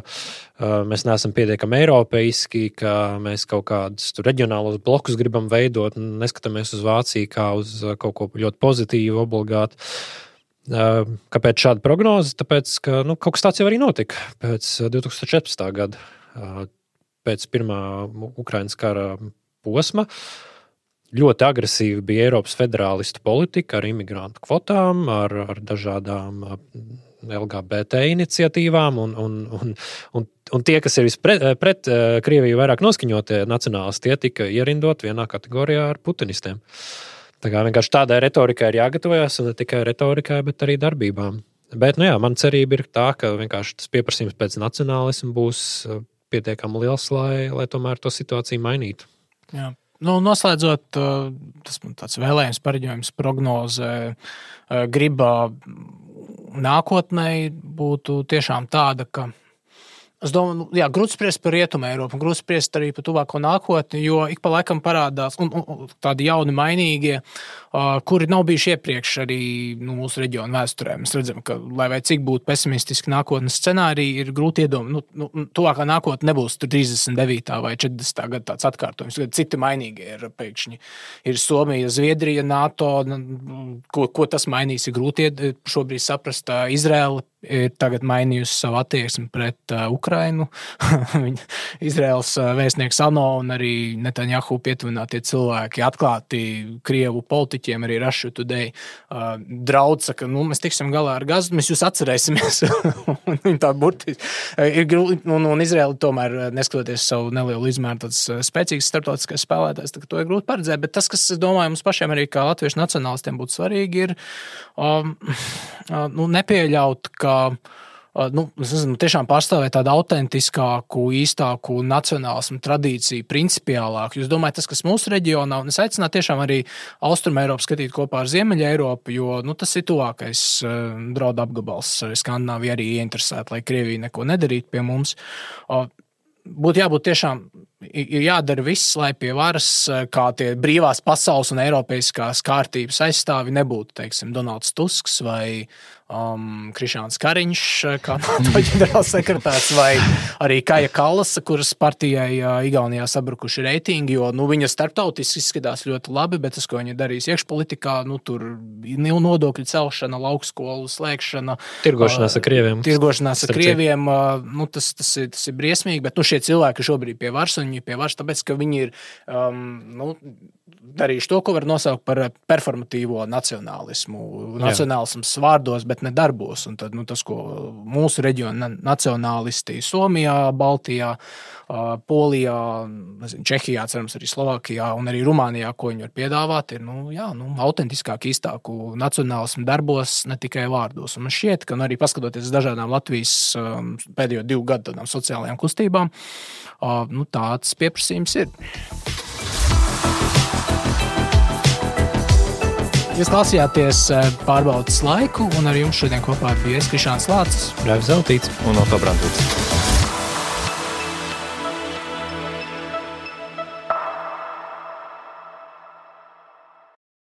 mēs neesam pietiekami eiropeiski, ka mēs kaut kādus reģionālos blokus gribam veidot, neskatāmies uz Vāciju kā uz kaut ko ļoti pozitīvu, obligāti. Kāpēc šāda prognoze? Tāpēc, ka kaut kas tāds jau arī notika pēc 2014. gada, pēc pirmā Ukrainas kara posma. Ļoti agresīvi bija Eiropas federālistu politika ar imigrantu kvotām, ar dažādām LGBT iniciatīvām, un tie, kas ir pret Krieviju vairāk noskaņotie nacionālisti, tie tika ierindot vienā kategorijā ar putinistiem. Tā kā vienkārši tādai retorikai ir jāgatavojas, un ne tikai retorikai, bet arī darbībām. Bet, man cerība ir tā, ka vienkārši tas pieprasījums pēc nacionālismu būs pietiekami liels, lai tomēr to situāciju mainītu. Jā. Noslēdzot, tas man tāds vēlējums, pareģojums, prognoze, griba nākotnē būtu tiešām tāda, ka es domāju, grūti spriest par Rietumu Eiropu, grūti spriest arī par tuvāko nākotni, jo ik pa laikam parādās un tādi jauni mainīgie, kuri nav bijuši iepriekš arī mūsu reģionu vēsturē. Mēs redzam, ka, lai vai cik būtu pesimistiski nākotnes scenāriji, ir grūti iedomāt, tuvākā nākotne nebūs 39. vai 40. gada tāds atkārtojums, kad citi mainīgie ir pēkšņi. Ir Somija, Zviedrija, NATO, ko tas mainīs, ir grūti šobrīd saprast. Izraela ir tagad mainījusi savu attieksmi pret Ukrainu. Izraels vēstnieks ANO un arī Netanjahu pietuvinātie cilvēki atklāti Krievu politiķiem, arī Russia Today draudz, ka mēs tiksim galā ar Gazu, mēs jūs atcerēsimies. Viņi tā burtiski ir grūti, un Izraela tomēr, neskatoties savu nelielu izmēru, tāds spēcīgs starptautiskais spēlētājs, tā, to ir grūti paredzēt, bet tas, kas, es domāju, mums pašiem arī kā latviešu nacionālistiem būtu svarīgi, ir nepieļaut, ka tiešām pārstāvēt tādu autentiskāku, īstāku nacionālismu tradīciju, principiālāku. Jūs domājat, tas, kas mūsu reģionā, un es aicinātu tiešām arī Austrumu Eiropu skatīt kopā ar Ziemeļa Eiropu, jo tas ir tuvākais draudu apgabals. Skandināvija arī ieinteresēta, lai Krievija neko nedarītu pie mums. Būtu jābūt tiešām, ir jādara viss, lai pie varas, kā tie brīvās pasaules un eiropeiskās kārtības aizstāvi nebūtu, teiksim, Donalds Tusks vai Krišāns Kariņš, kā NATO ģenerālsekretārs, vai arī Kaja Kallasa, kuras partijai Igaunijā sabrukuši reitingi, jo viņa starptautiski izskatās ļoti labi, bet tas, ko viņa darīs iekšpolitikā, tur nodokļu celšana, laukskolu slēgšana, tirgošanās ar Krieviem, tas ir briesmīgi, bet šie cilvēki šobrīd pie varas, un viņi pie varas, tāpēc, ka viņi ir darījuši to, ko var nosaukt par performatīvo nacionālismu. Nacionālisms vārdos, bet ne darbos. Un tad, tas, ko mūsu reģiona nacionālisti Somijā, Baltijā, Polijā, Čehijā, cerams arī Slovākijā un arī Rumānijā, ko viņi var piedāvāt, ir, autentiskāk, īstāku nacionālismu darbos, ne tikai vārdos. Un man šķiet, ka arī paskatoties dažādām Latvijas pēdējo 2 gadu tādām sociālajām kustībām, tāds pieprasījums ir. Jūs klausījāties Pārbaudes laiku, un ar jums šodien kopā bija Krišāns Lācis, Raivis Zeltīts un Otto Brandīts.